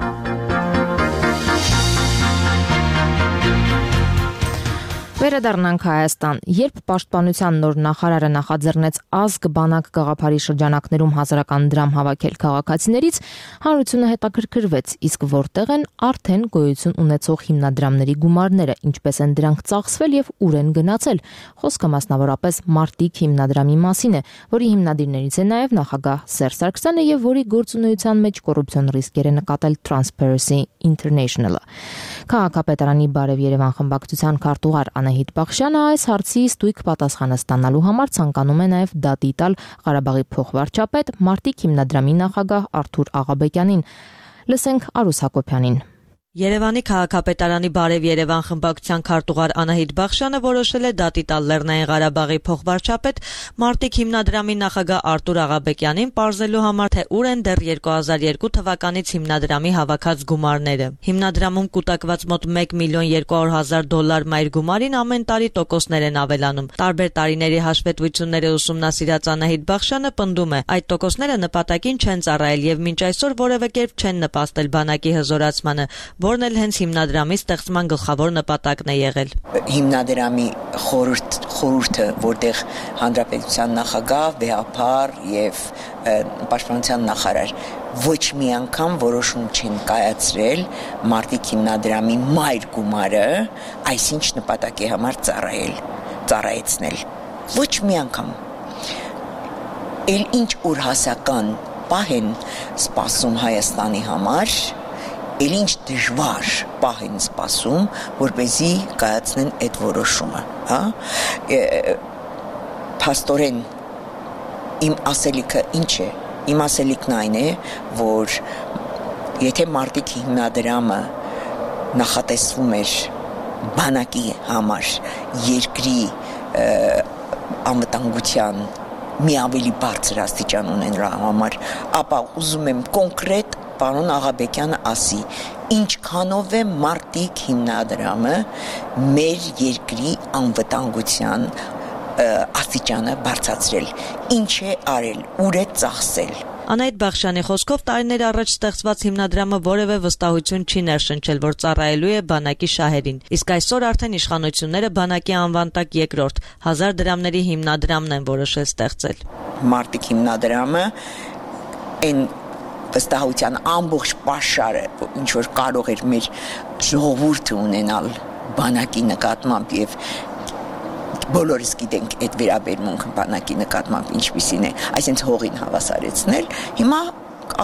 Վերադառնանք Հայաստան։ Երբ պաշտպանության նոր նախարարը նախաձեռնեց ազգ բանակ գաղափարի շրջանակներում հազարական դրամ հավաքել քաղաքացիներից, հանրությունը հետաքրքրվեց, իսկ որտեղ են արդեն գոյություն ունեցող հիմնադրամների գումարները, ինչպես են դրանք ծախսվել եւ ուր են գնացել։ Խոսքը մասնավորապես Մարտիկ հիմնադրամի մասին է, որի հիմնադիրներից է նաեւ նախագահ Սերժ Սարգսյանը եւ որի գործունեության մեջ կոռուպցիոն ռիսկեր է նկատել Transparency International-ը։ Քաղաքապետարանի Բարև Երևան խմբակցության քարտուղար Անահիտ Բախշյանը այս հարցի ստույգ պատասխանը ստանալու համար ցանկանում է նաև դատի տալ Ղարաբաղի փոխվարչապետ Մարտիկ հիմնադրամի նախագահ Արթուր Աղաբեկյանին։ Լսենք Արուս Հակոբյանին։ Երևանի քաղաքապետարանի Բարև Երևան խմբակցության քարտուղար Անահիտ Բախշյանը որոշել է դատի տալ Լեռնային Ղարաբաղի փոխվարչապետ Մարտիկ հիմնադրամի նախագահ Արթուր Աղաբեկյանին պարզելու համար, թե ուր են դեռ 2002 թվականից հիմնադրամի հավաքած գումարները։ Հիմնադրամում կուտակված մոտ $1,200,000 մայր գումարին ամեն տարի տոկոսներ են ավելանում։ Տարբեր տարիների հաշվետվությունները ուսումնասիրած Անահիտ Բախշյանը պնդում է, այդ տոկոսները նպատակին չեն ծառայել եւ մինչ այսօր որևէ կերպ չեն նպաստել բանակի հզորացմանը, որն էլ հենց հիմնադրամի ստեղծման գլխավոր նպատակն է եղել։ Հիմնադրամի խորհուրդը, որտեղ հանրապետության նախագահ, վեհապար եւ պաշտպանության նախարար ոչ մի անգամ որոշում չեն կայացրել Մարտիկ հիմնադրամի մայր գումարը այսինչ նպատակի համար ծառայեցնել։ Ոչ մի անգամ։ Էլ ինչ ուր հասական պահ են սպասում Հայաստանի համար, Էլ ինչ դժվար պահ են սպասում, որպեսզի կայացնեն այդ որոշումը, հա։ Փաստորեն իմ ասելիքը ինչ է։ Իմ ասելիքն այն է, որ եթե մարտիկ հիմնադրամը նախատեսվում էր բանակի համար երկրի անվտանգության մի ավելի բարձր աստիճան ունենալու համար, ապա ուզում եմ կոնկրետ պարոն Աղաբեկյանը ասի, ինչքանով է մարտիկ հիմնադրամը մեր երկրի անվտանգության աստիճանը բարձրացրել, ինչ է արել, ուր է ծախսել։ Անահիտ Բախշյանի խոսքով տարիներ առաջ ստեղծված հիմնադրամը որևէ վստահություն չի ներշնչել, որ ծառայելու է բանակի շահերին։ Իսկ այսօր արդեն իշխանությունները բանակի անվան տակ երկրորդ 1000 դրամների հիմնադրամն են որոշել ստեղծել։ Մարտիկ հիմնադրամը այն վստահության ամբողջ պաշարը, ինչ որ կարող էր մեր ժողովուրդը ունենալ բանակի նկատմամբ եւ բոլորս գիտենք այդ վերաբերմունքը բանակի նկատմամբ ինչպիսին է, այսինքն հողին հավասարեցնել, հիմա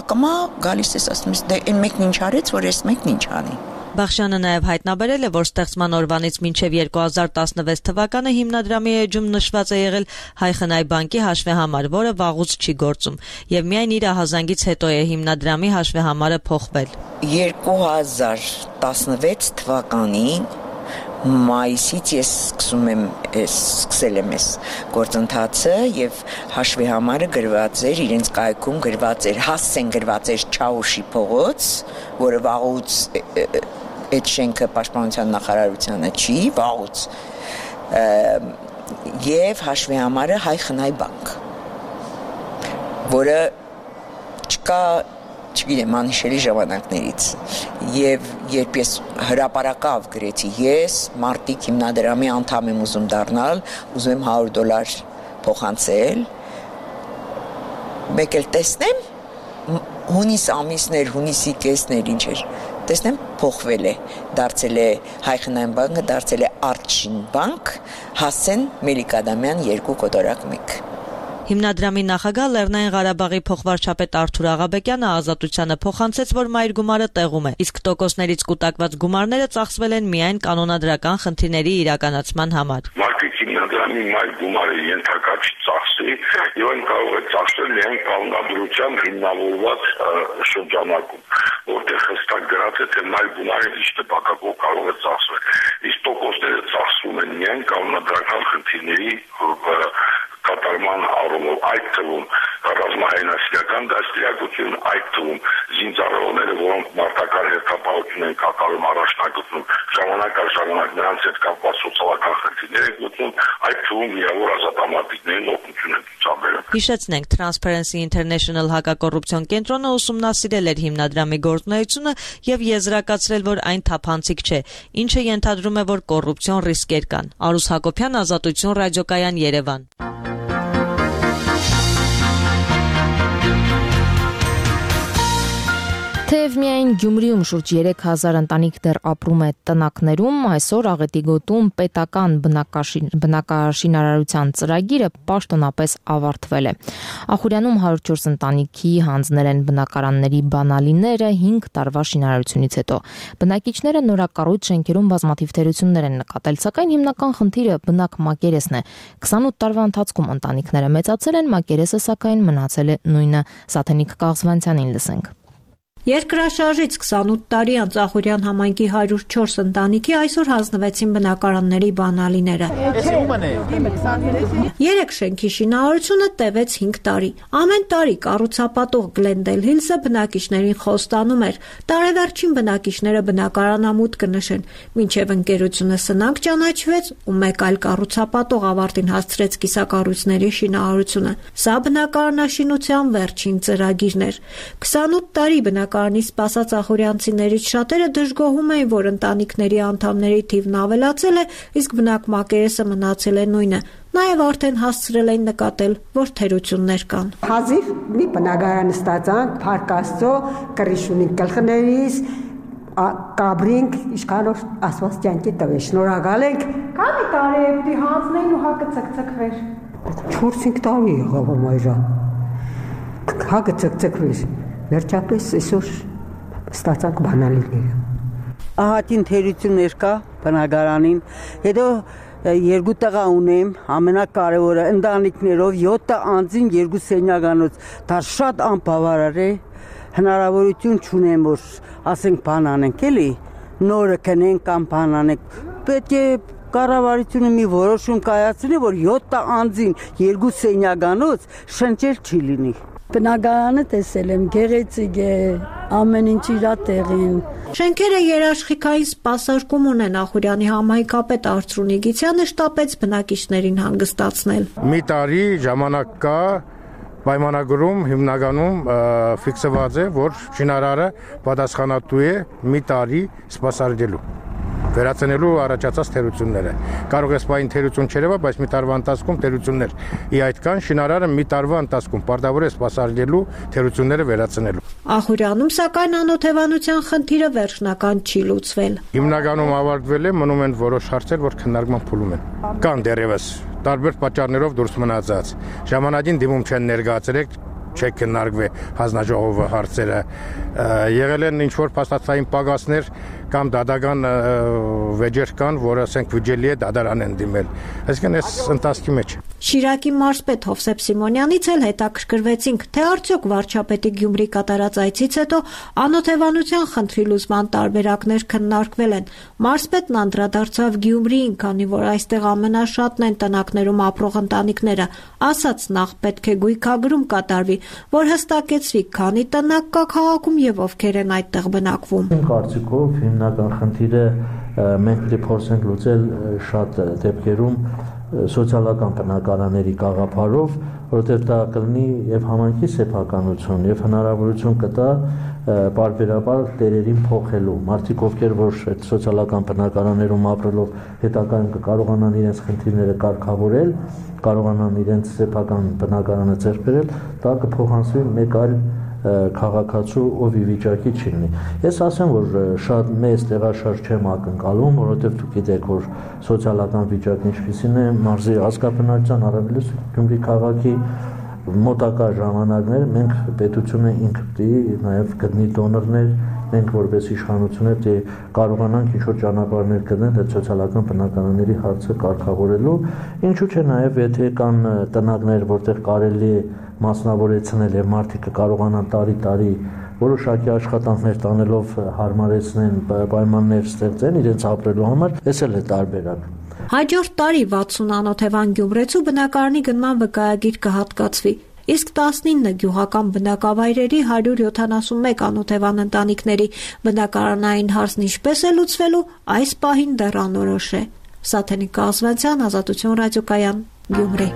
ակամա գալիս ես ասում ես, դե այն մեկն ինչ արեց, որ այս մեկն ինչ անի։ Բախշյանը նաև հայտնաբերել է, որ ստեղծման օրվանից մինչև 2016 թվականը հիմնադրամի էջում նշված է եղել Հայ խնայ բանկի հաշվեհամար, որը վաղուց չի գործում, եւ միայն իր ահազանգից հետո է հիմնադրամի հաշվեհամարը փոխվել։ 2016 թվականին մայիսից ես սկսել եմ այս գործընթացը եւ հաշվեհամարը գրված էր իրենց կայքում գրված էր հասցեն գրված էր Չաուշի փողոց, որը վաղուց այդ շենքը պաշտպանության նախարարությանը չի, վաղուց եւ հաշվեհամարը Հայ խնայ բանկ, որը չկա չգիտեմ անհիշելի ժամանակներից եւ երբ ես հրապարակավ գրեցի ես մարտիկ հիմնադրամի անդամ եմ ուզում դառնալ, ուզում եմ $100 փոխանցել, մեկ էլ տեսնեմ հունիս ամիսներ, հունիսի կեսներ ինչ էր, տեսնեմ փոխվել է, դարձել է Հայ խնայ բանկը, դարձել է Արտշին բանկ, Հասեն Մելիք-Ադամյան 2.1 Հիմնադրամի նախագահ Լեռնային Ղարաբաղի փոխվարչապետ Արթուր Աղաբեկյանը Ազատությանը փոխանցեց, որ մայր գումարը տեղում է, իսկ տոկոսներից կուտակված գումարները ծախսվել են միայն կանոնադրական խնդիրների իրականացման համար։ Մարտիկ հիմնադրամի մայր գումարը ենթակա չի ծախսի, եւ այն կարող է ծախսել միայն կանոնադրությամբ հիմնավորված շրջանակում, որտեղ հստակ գրած է, թե մայր գումարը ինչ տպակակով կարող է ծախսվել։ Իսկ տոկոսները ծախսվում են միայն կանոնադրական խնդիրների կատարման առումով, այդ թվում ռազմահայնասիրական դաստիարակություն, այդ թվում զինծառայողները, որոնք մարտական հերթապահություն են կատարում, առաջնագծում, ժամանակ առ ժամանակ նրանց հետ կապված սոցիալական խնդիրներ են գտնում, այդ թվում միավոր ազատամարտիկներին օգնություն են ցուցաբերում։ Հիշեցնենք, Transparency International հակակոռուպցիոն կենտրոնը ուսումնասիրել էր հիմնադրամի գործունեությունը եւ եզրակացրել, որ այն թափանցիկ չէ, ինչը ենթադրում է, որ կոռուպցիոն ռիսկեր կան։ Արուս Հակոբյան, Ազատություն ռադիոկայան, Երևան։ Թեև միայն Գյումրիում շուրջ 3000 ընտանիք դեռ ապրում է տնակներում, այսօր Աղետի գոտում պետական բնակաշինարարության ծրագիրը պաշտոնապես ավարտվել է։ Ախուրյանում 104 ընտանիքի հանձնել են բնակարանների բանալիները 5 տարվա շինարարությունից հետո։ Բնակիչները նորակառույց շենքերում բազմաթիվ թերություններ են նկատել, սակայն հիմնական խնդիրը բնակ մակերեսն է։ 28 տարվա ընթացքում ընտանիքները մեծացել են, մակերեսը սակայն մնացել է նույնը։ Սաթենիկ Կաղզվանցյանին լսենք։ Երկրաշարժից 28 տարի անց Ախուրյան համայնքի 104 ընտանիքի այսօր հանձնվեցին բնակարանների բանալիները։ 3 շենքի շինարարությունը տևեց 5 տարի։ Ամեն տարի կառուցապատող Glendale Hills-ը բնակիչներին խոստանում էր, տարեվերջին բնակիչները բնակարանամուտք կնշեն, մինչև ընկերությունը սնանկ ճանաչվեց ու մեկ այլ կառուցապատող ավարտին հասցրեց կիսակառույցների շինարարությունը։ Սա բնակարանաշինության վերջին ծրագիրն էր։ 28 տարի բնակարանի սպասած ախուրյանցիներից շատերը դժգոհում էին, որ ընտանիքների անդամների թիվն ավելացել է, իսկ բնակ մակերեսը մնացել է նույնը։ Նաև արդեն հասցրել էին նկատել, որ թերություններ կան։ Հազիվ մի բնակարան ստացանք, Փառք Աստծո, կռիշունի գլխներից կաբրինք, իշքանով ասված կյանքի տվեց։ Շնորհակալ ենք։ Քանի տարի է պիտի հանձնեին ու հակը ցկցկվեր։ 4-5 տարի եղավ մայրա։ Հակը ցկցկվեց։ Վերջապես այսօր ստացանք բանալիները։ Ահատին թերություններ կա բնակարանին, հետո երկու տղա ունեմ, ամենակարևորը ընտանիքներով 7 անձին 2 սենյականոց, դա շատ անբավարար է, հնարավորություն չունեմ, որ ասենք բան անենք, էլի, նորը կնենք կամ բան անենք, պետք է կառավարությունը մի որոշում կայացնի, որ 7 անձին 2 սենյականոց շնչել չի լինի։ Բնակարանը տեսել եմ, գեղեցիկ է, ամեն ինչ իր տեղին։ Շենքերը երաշխիքային սպասարկում ունեն, Ախուրյանի համայնքապետ Արծրունի Գիցյանը շտապեց բնակիչներին հանգստացնել։ Մի տարի ժամանակ կա, պայմանագրում հիմնականում ֆիքսված է, որ շինարարը պատասխանատու է մի տարի սպասարկելու, վերացնելու առաջացած թերությունները։ Կարող է սպային թերություն չերևա, բայց մի տարվա ընթացքում թերություններ ի այդ կան, շինարարը մի տարվա ընթացքում պարտավոր է սպասարկելու թերությունները վերացնելու։ Ախուրյանում սակայն անօթևանության խնդիրը վերջնական չի լուծվել։ Հիմնականում ավարտվել է, մնում են որոշ հարցեր, որ քննարկման փուլում են։ Կան դեռևս տարբեր պատճառներով դուրս մնացած։ Ժամանակին դիմում չեն ներկայացրել, չեք քննարկվի հանձնաժողովը հարցերը, եղել են ինչ-որ փաստացային պակասներ կամ դատական վեճեր կան, որ ասենք վիճելի է դատարան են դիմել։ Այսինքն այս ընթացքի մեջ։ Շիրակի մարզպետ Հովսեփ Սիմոնյանից էլ հետաքրքրվեցինք, թե արդյոք վարչապետի Գյումրի կատարած այցից հետո անօթևանության խնդրի լուծման տարբերակներ քննարկվել են։ Մարզպետն անդրադարձավ Գյումրիին, քանի որ այստեղ ամենաշատն են տնակներում ապրող ընտանիքները, ասաց նախ պետք է գույքագրում կատարվի, որ հստակեցվի քանի տնակ կա քաղաքում եւ ովքեր են այդտեղ բնակվում։ Իմ կարծիքով հիմնական խնդիրը մենք պետք է փորձենք լուծել շատ դեպքերում սոցիալական բնակարանների գաղափարով, որովհետև դա կլինի եւ համայնքի սեփականություն եւ հնարավորություն կտա բարբերաբար տերերին փոխելու։ Մարդիկ, ովքեր որ այդ սոցիալական բնակարաններում ապրելով հետագայում կկարողանան իրենց խնդիրները կարգավորել, կարողանան իրենց սեփական բնակարանը ձեռք բերել, դա կփոխանցվի մեկ այլ քաղաքացու, ով ի վիճակի չի լինի։ Ես ասեմ, որ շատ մեծ տեղաշարժ չեմ ակնկալում, որովհետև դուք գիտեք, որ սոցիալական վիճակը ինչպիսին է, մարզի ազգաբնակչության առավելից Գյումրի քաղաքի մոտակա ժամանակներ մենք պետությունը ինքը պետք է նաև գտնի դոնորներ, մենք որպես իշխանություններ կարողանանք ինչ-որ ճանապարհներ գտնել այդ սոցիալական բնակարանների հարցը կարգավորելու, ինչու՞ չէ նաև եթե կան տնակներ, որտեղ կարելի է մասնավորեցնել եւ մարդիկ կարողանան տարի որոշակի աշխատանքներ տանելով հարմարեցնեն, պայմաններ ստեղծեն իրենց ապրելու համար, այս էլ է տարբերակ։ Հաջորդ տարի 60 անօթևան գյումրեցու բնակարանի գնման վկայագիր կհատկացվի, իսկ 19 գյուղական բնակավայրերի 171 անօթևան ընտանիքների բնակարանային հարցն ինչպես է լուծվելու, այս պահին դեռ անորոշ է։ Սաթենիկ Կազվանցյան, Ազատություն ռադիոկայան, Գյումրի։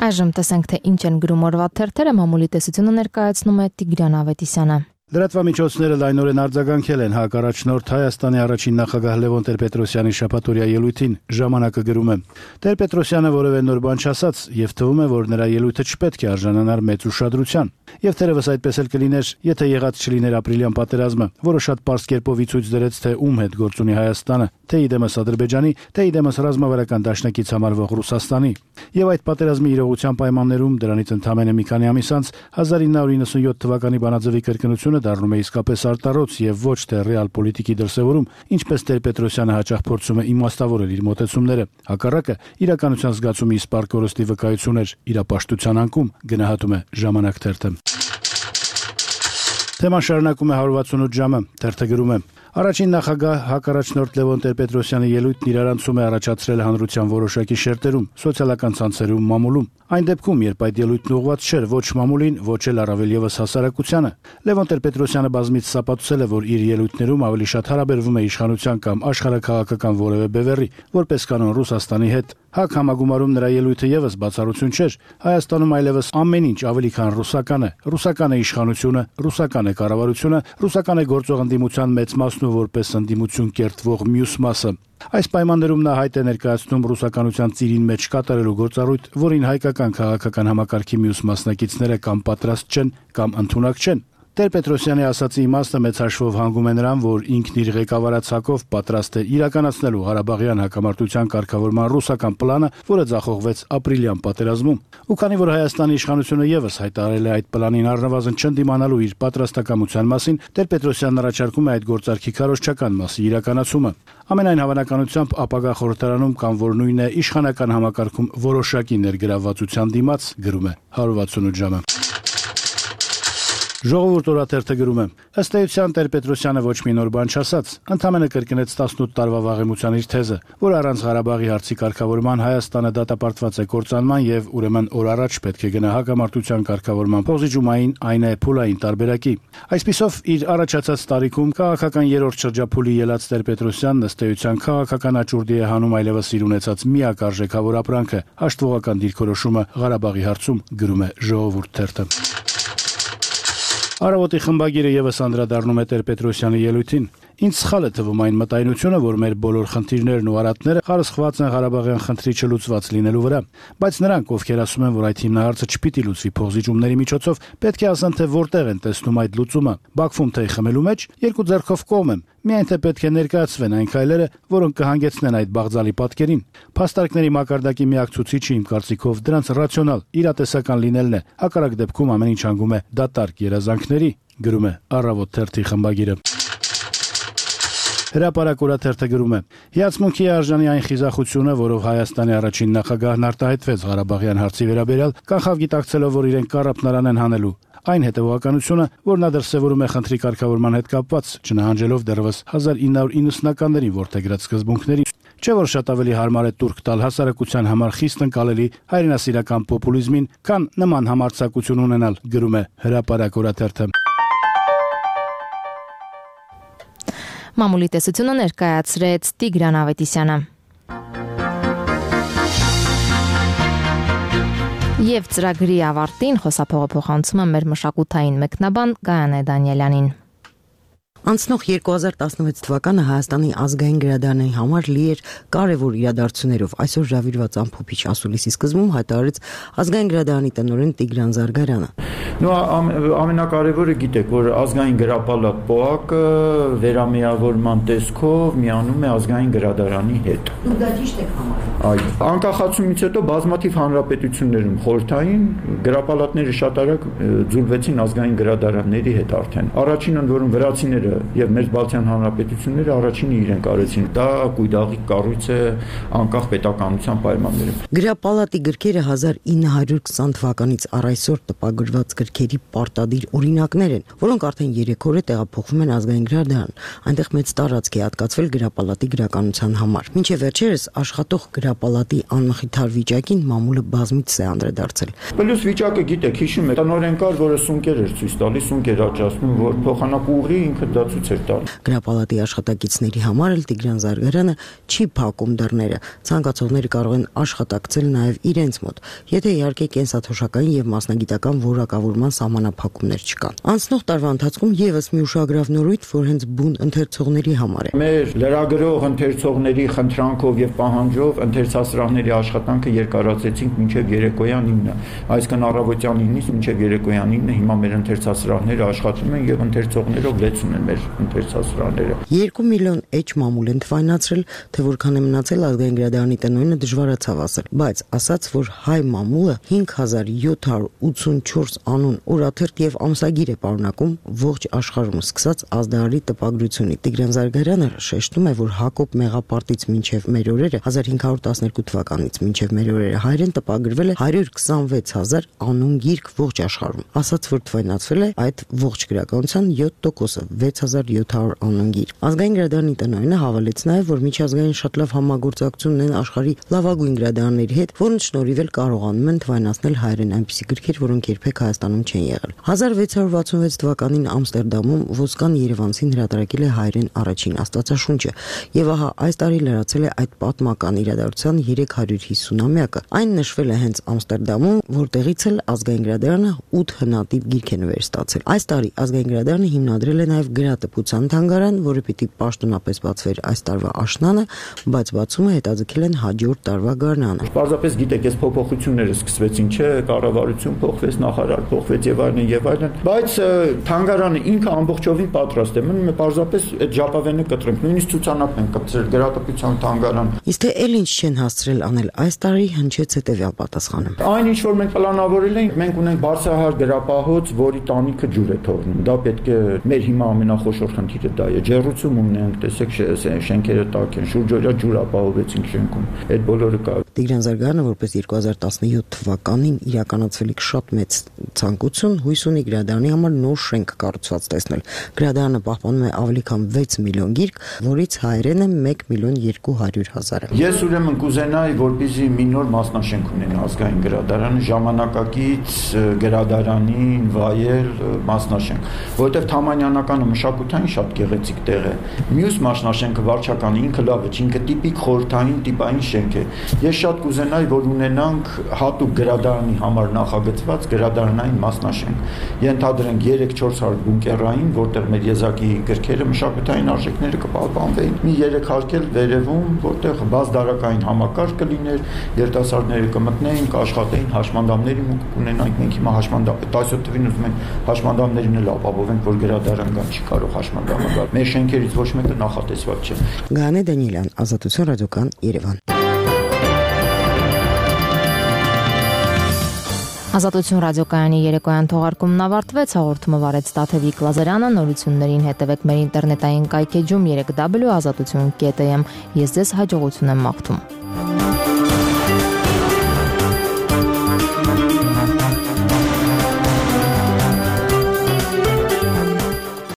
Այժմ տեսենք, թե ինչ են գրում օրվա թերթերը, մամուլի տեսությունը ներկայացնում է Տիգրան Ավետիսյանը։ Լրատվամիջոցները լայնորեն արձագանքել են հակառաջնորդ Հայաստանի առաջին նախագահ Լևոն Տեր-Պետրոսյանի շաբաթօրյա ելույթին, ժամանակը գրում է. Տեր-Պետրոսյանը որևէ նոր բան չասաց եւ թվում է, որ նրա ելույթը չպետք է արժանանար մեծ ուշադրության։ Եվ թերևս այդպես էլ կլիներ, եթե եղած չլիներ ապրիլյան պատերազմը, որը շատ պարզ կերպով ի ցույց դրեց, թե ում հետ գործ ունի Հայաստանը, թե իդեմս Ադրբեջանի, թե իդեմս ռազմավարական դաշնակից համարվող Ռուսաստանի։ Եվ այդ պատերազմի իրողության պայմաններում դրանից ընդամենը մի քանի ամիս անց 1997 թվականի բանաձևի կրկնությունը դառնում է իսկապես արտարոց եւ ոչ թե ռեալ պոլիտիկի դրսեւորում, ինչպես Տեր-Պետրոսյանը հաճախ փորձում է իմաստավորել իր մոտեցումները։ Հակառակը իրականության զգացումի իսպառ կորստի վկայություն էր, իրապաշտության անկում, գնահատում է Ժամանակ թերթը։ Թեման շարունակում է 168 ժամը, թերթը գրում է. Առաջին նախագահ հակառաջնորդ Լևոն Տեր-Պետրոսյանի ելույթն իրարանցում է առաջացրել հանրության որոշակի շերտերում, սոցիալական ցանցերում, մամուլում։ Այն դեպքում, երբ այդ ելույթն ուղղված չէր ոչ մամուլին, ոչ էլ առավել եւս հասարակությանը, Լևոն Տեր-Պետրոսյանը բազմիցս ապացուցել է, որ իր ելույթներում ավելի շատ հարաբերվում է իշխանության կամ աշխարհաքաղաքական որևէ բևեռի, որպես կանոն Ռուսաստանի հետ։ Հակ համագումարում նրա ելույթը եւս բացառություն չէր։ Հայաստանում այլևս ամեն ինչ ավելի քան ռուսական է։ Ռուսական է իշխանությունը, ռուսական է կառավարությունը, ռուսական է գործող ընդդիմության մեծ մասն ու որպես ընդդիմություն կերտվող մյուս մասը։ Այս պայմաններում նա հայտ է ներկայացնում ռուսականության ծիրին մեջ կատարելու գործառույթ, որին հայկական քաղաքական համակարգի մյուս մասնակիցները կամ պատրաստ չեն, կամ ընդունակ չեն։ Տեր-Պետրոսյանի ասացի իմաստը մեծ հաշվով հանգում է նրան, որ ինքն իր ղեկավարացակով պատրաստ է իրականացնելու Ղարաբաղյան հակամարտության կարգավորման ռուսական պլանը, որը ձախողվեց ապրիլյան պատերազմում։ Ու քանի որ Հայաստանի իշխանությունը եւս հայտարարել է այդ պլանին առնվազն չընդդիմանալու իր պատրաստակամության մասին, Տեր-Պետրոսյանն առաջարկում է այդ գործարքի քարոզչական մասի իրականացումը։ Ամենայն հավանականությամբ ապագա խորհրդարանում կամ որ նույն է իշխանական համակարգում որոշակի ներգրավվածության դիմաց, գրում է 168 ժամը։ Ժողովուրդ օրաթերթը գրում է. ըստ էության Տեր-Պետրոսյանը ոչ մի նոր բան չասաց, ընդամենը կրկնեց 18 տարվա վաղեմության իր թեզը, որ առանց Ղարաբաղի հարցի կարգավորման Հայաստանը դատապարտված է կործանման եւ ուրեմն օր առաջ պետք է գնա հակամարտության կարգավորման փոխզիջումային, այն է փուլային տարբերակի։ Այսպիսով իր առաջացած տարիքում քաղաքական երրորդ շրջափուլի ելած Տեր-Պետրոսյանն ըստ էության քաղաքական աճուրդի է հանում այլևս իր ունեցած միակ արժեքավոր ապրանքը՝ հաշտվողական դիրքորոշումը Ղարաբաղի հարցում, գրում է Ժողովուրդ թերթը։ Արավոտի խմբագիրը եւս անդրադառնում է Տեր-Պետրոսյանի ելույթին։ Ինձ սխալ է թվում այն մտայնությունը, որ մեր բոլոր խնդիրներն ու արատները խարսխված են Ղարաբաղյան խնդրի չլուծված լինելու վրա, բայց նրանք, ովքեր ասում են, որ այդ հիմնահարցը չպիտի լուծվի փոխզիջումների միջոցով, պետք է ասեն, թե որտեղ են տեսնում այդ լուծումը։ Բաքվում թե խմելու մեջ, երկու ձեռքով կողմ եմ, միայն թե պետք է ներկայացվեն այն քայլերը, որոնք կհանգեցնեն այդ բաղձալի պատկերին։ Փաստարկների մակարդակի միակ ցուցիչը իմ կարծիքով դրանց ռացիոնալ, իրատեսական լինելն է, հակառակ դեպքում ամեն ինչ հանգում է դատարկ երազանքների, գրում է Առավոտ թերթի խմբագիրը։ Հրապարակ օրաթերթը գրում է. Հիացմունքի է արժանի այն խիզախությունը, որով Հայաստանի առաջին նախագահն արտահայտվեց Ղարաբաղյան հարցի վերաբերյալ, կանխավ գիտակցելով, որ իրեն կառապնարան են հանելու։ Այն հետևողականությունը, որ նա դրսևորում է խնդրի կարգավորման հետ կապված, չնահանջելով դեռևս 1990-ականներին որդեգրած սկզբունքների, չէ որ շատ ավելի հարմար է տուրք տալ հասարակության համար խիստ ընկալելի հայրենասիրական պոպուլիզմին, քան նման համարձակություն ունենալ, գրում է Հրապարակ օրաթերթը։ Մամուլի տեսությունը ներկայացրեց Տիգրան Ավետիսյանը։ Եվ ծրագրի ավարտին խոսափողը փոխանցում է մեր մշակութային մեկնաբան Գայանե Դանիելյանին։ Անցնող 2016 թվականը Հայաստանի ազգային գրադարանի համար լի էր կարևոր իրադարձություններով։ Այսօր ժավիրված ամփոփիչ ասուլիսի սկզբում հայտարարեց ազգային գրադարանի տնօրեն Տիգրան Զարգարյանը։ Ամենակարևորը գիտեք, որ ազգային գրապալատ ՊՕԱԿ-ը վերամիավորման տեսքով միանում է ազգային գրադարանի հետ։ Դուք դա ճիշտ եք համարում։ Այո։ Անկախացումից հետո բազմաթիվ հանրապետություններում խորհրդային գրապալատները շատ արագ ձուլվեցին ազգային գրադարանների հետ արդեն։ Առաջինը, որում վրացիները եւ մեր Բալթյան հանրապետությունները առաջինը իրենք արեցին։ Դա կույդաղի կառույց է անկախ պետականության պայմաններում։ Գրապալատի գրքերը 1920 թվականից առ այսօր տպագրված գրքերի պարտադիր օրինակներ են, որոնք արդեն 3 օր է տեղափոխվում են ազգային գրադարան։ Այնտեղ մեծ տարածք է հատկացվել գրապալատի գրականության համար։ Մինչև վերջերս աշխատող գրապալատի անմխիթար վիճակին մամուլը բազմիցս է անդրադարձել։ Պլյուս վիճակը գիտեք, հիշում եք, տնօրեն կար, որը սունկեր էր ցույց տալիս, սունկեր աճացնում, որ փոխանակուղի ինքը դա ցույց էր տալիս։ Գրապալատի աշխատակիցների համար էլ Տիգրան Զարգարյանը չի փակում դռները։ Ցանկացողները կարող են աշխատակցել նաև իրենց մոտ, եթե իհարկե կենսաթոշակային եւ մասնագիտական որակավորման սահմանափակումներ չկան։ Անցնող տարվա ընթացքում եւս մի ուշագրավ նորույթ, որ հենց բուն ընթերցողների համար է։ Մեր լրագրող ընթերցողների խնդրանքով եւ պահանջով ընթերցասրահների աշխատանքը երկարացեցինք մինչեւ երեկոյան 9-ը, այսինքն առավոտյան 9-ից մինչեւ երեկոյան 9-ը հիմա մեր ընթերցասրահները աշխատում են եւ ընթերցողներով լեցուն են մեր ընթերցասրահները։ 2 միլիոն էջ մամուլ են թվայնացրել, թե որքան է մնացել ազգային գրադարանի տնօրենը դժվարացավ ասել, բայց ասաց, որ հայ մամուլը 5784 անուն, օրաթերթ եւ ամսագիր է պարունակում ողջ աշխարհում սկսած ազդարարի տպագրությունից։ Տիգրան Զարգարյանը շեշտում է, որ Հակոբ Մեղապարտից մինչև մեր օրերը 1512 թվականից մինչև մեր օրերը հայերեն տպագրվել է 126000 անուն գիրք ողջ աշխարհում։ Ասաց, որ թվայնացվել է այդ ողջ գրականության 7%-ը 6700 անուն գիր։ Ազգային գրադարանի տնօրենը հավելեց նաև, որ միջազգային շատ լավ համագործակցություն ունեն աշխարհի լավագույն գրադարանների հետ, որոնց շնորհիվ էլ կարողանում են թվայնացնել հայերեն այնպիսի գրքեր, որոնք երբեք Հայաստանում չեն եղել։ 1666 թվականին Ամստերդամում ոսկան երևանցին հրատարակել է հայերեն առաջին Աստվածաշունչը, եւ ահա այս տարի լրացել է այդ պատմական իրադարձության 350-ամյակը։ Այն նշվել է հենց Ամստերդամում, որտեղից էլ ազգային գրադարանը 8 հնատիպ գիրք է նվեր ստացել։ Այս տարի ազգային գրադարանը հիմնադրել է նաև Գեղարվեստատպության թանգարան, որը պիտի պաշտոնապես բացվեր այս տարվա աշնանը, բայց բացումը հետաձգել են հաջորդ տարվա գարնանը։ Պարզապես գիտեք, այս փոփոխությունները սկսվեցին, չէ, կառավարություն փոխվեց, նախարար փոխվեց եւ այլն եւ այլն, բայց թանգարանը ինքը ամբողջովին պատրաստ է։ Մնում է պարզապես այդ ժապավենը կտրենք, նույնիսկ ցուցանակ ենք կպցրել գրատպության թանգարան։ Իսկ թե ել ինչ չեն հասցրել անել այս տարի, հնչեց հետեւյալ պատասխանը։ Այն ինչ որ մենք պլանավորել ենք, մենք ունենք բարձրահար գրապահոց, որի տանիքը ջուր է թողնում։ Դա պետք է մեր հիմա ամենախոշոր խնդիրը դա է։ Ջեռուցում ունենք, տեսեք, շենքերը տաք են, շուրջօրյա ջուր ապահովեցինք շենքում։ Այդ բոլորը կա։ Տիգրան Զարգարյանը որպես 2017 թվականին իրականացվելիք շատ մեծ ցանկություն հույս ունի գրադարանի համար նոր շենք կառուցված տեսնել։ Գրադարանը պահպանում է ավելի քան 6 միլիոն գիրք, որից հայերենը 1.2 միլիոն։ Ես ուրեմն կուզենայի, որպեսզի մի նոր մասնաշենք ունենա ազգային գրադարանը, ժամանակակից գրադարանին վայել մասնաշենք, որտեղ Թամանյանականը մշակութային շատ գեղեցիկ տեղ է։ Մյուս մասնաշենքը վարչականը ինքը լավ է, ինքը տիպիկ խորհրդային տիպային շենք է։ Ես շատ կուզենայի, որ ունենանք հատուկ գրադարանի համար նախագծված գրադարանային մասնաշենք։ Ենթադրենք 3-400 բունկերային, որտեղ մեր եզակի գրքերը մշակութային արժեքները կպահպանվեին։ Մի 3 հարկել վերևում, որտեղ բազդարակային համակարգ կլիներ, երիտասարդները կմտնեին, կաշխատեին, հաշմանդամների մուտք կունենանք։ Մենք հիմա 17 թվին ուզում ենք հաշմանդամներին էլ ապահովենք, որ գրադարան կան, չի կարող հաշմանդամը գալ։ Մեր շենքերից ոչ մեկը նախատեսված չէ։ Գանե Դանիելյան, Ազատություն ռադիոկան, Երևան։ Ազատություն ռադիոկայանի երեկոյան թողարկումն ավարտվեց, հաղորդումը վարեց Տաթևիկ Լազարյանը, նորություններին հետևեք մեր ինտերնետային կայքեջում www.azatutun.am։ Ես ձեզ հաջողություն եմ մաղթում։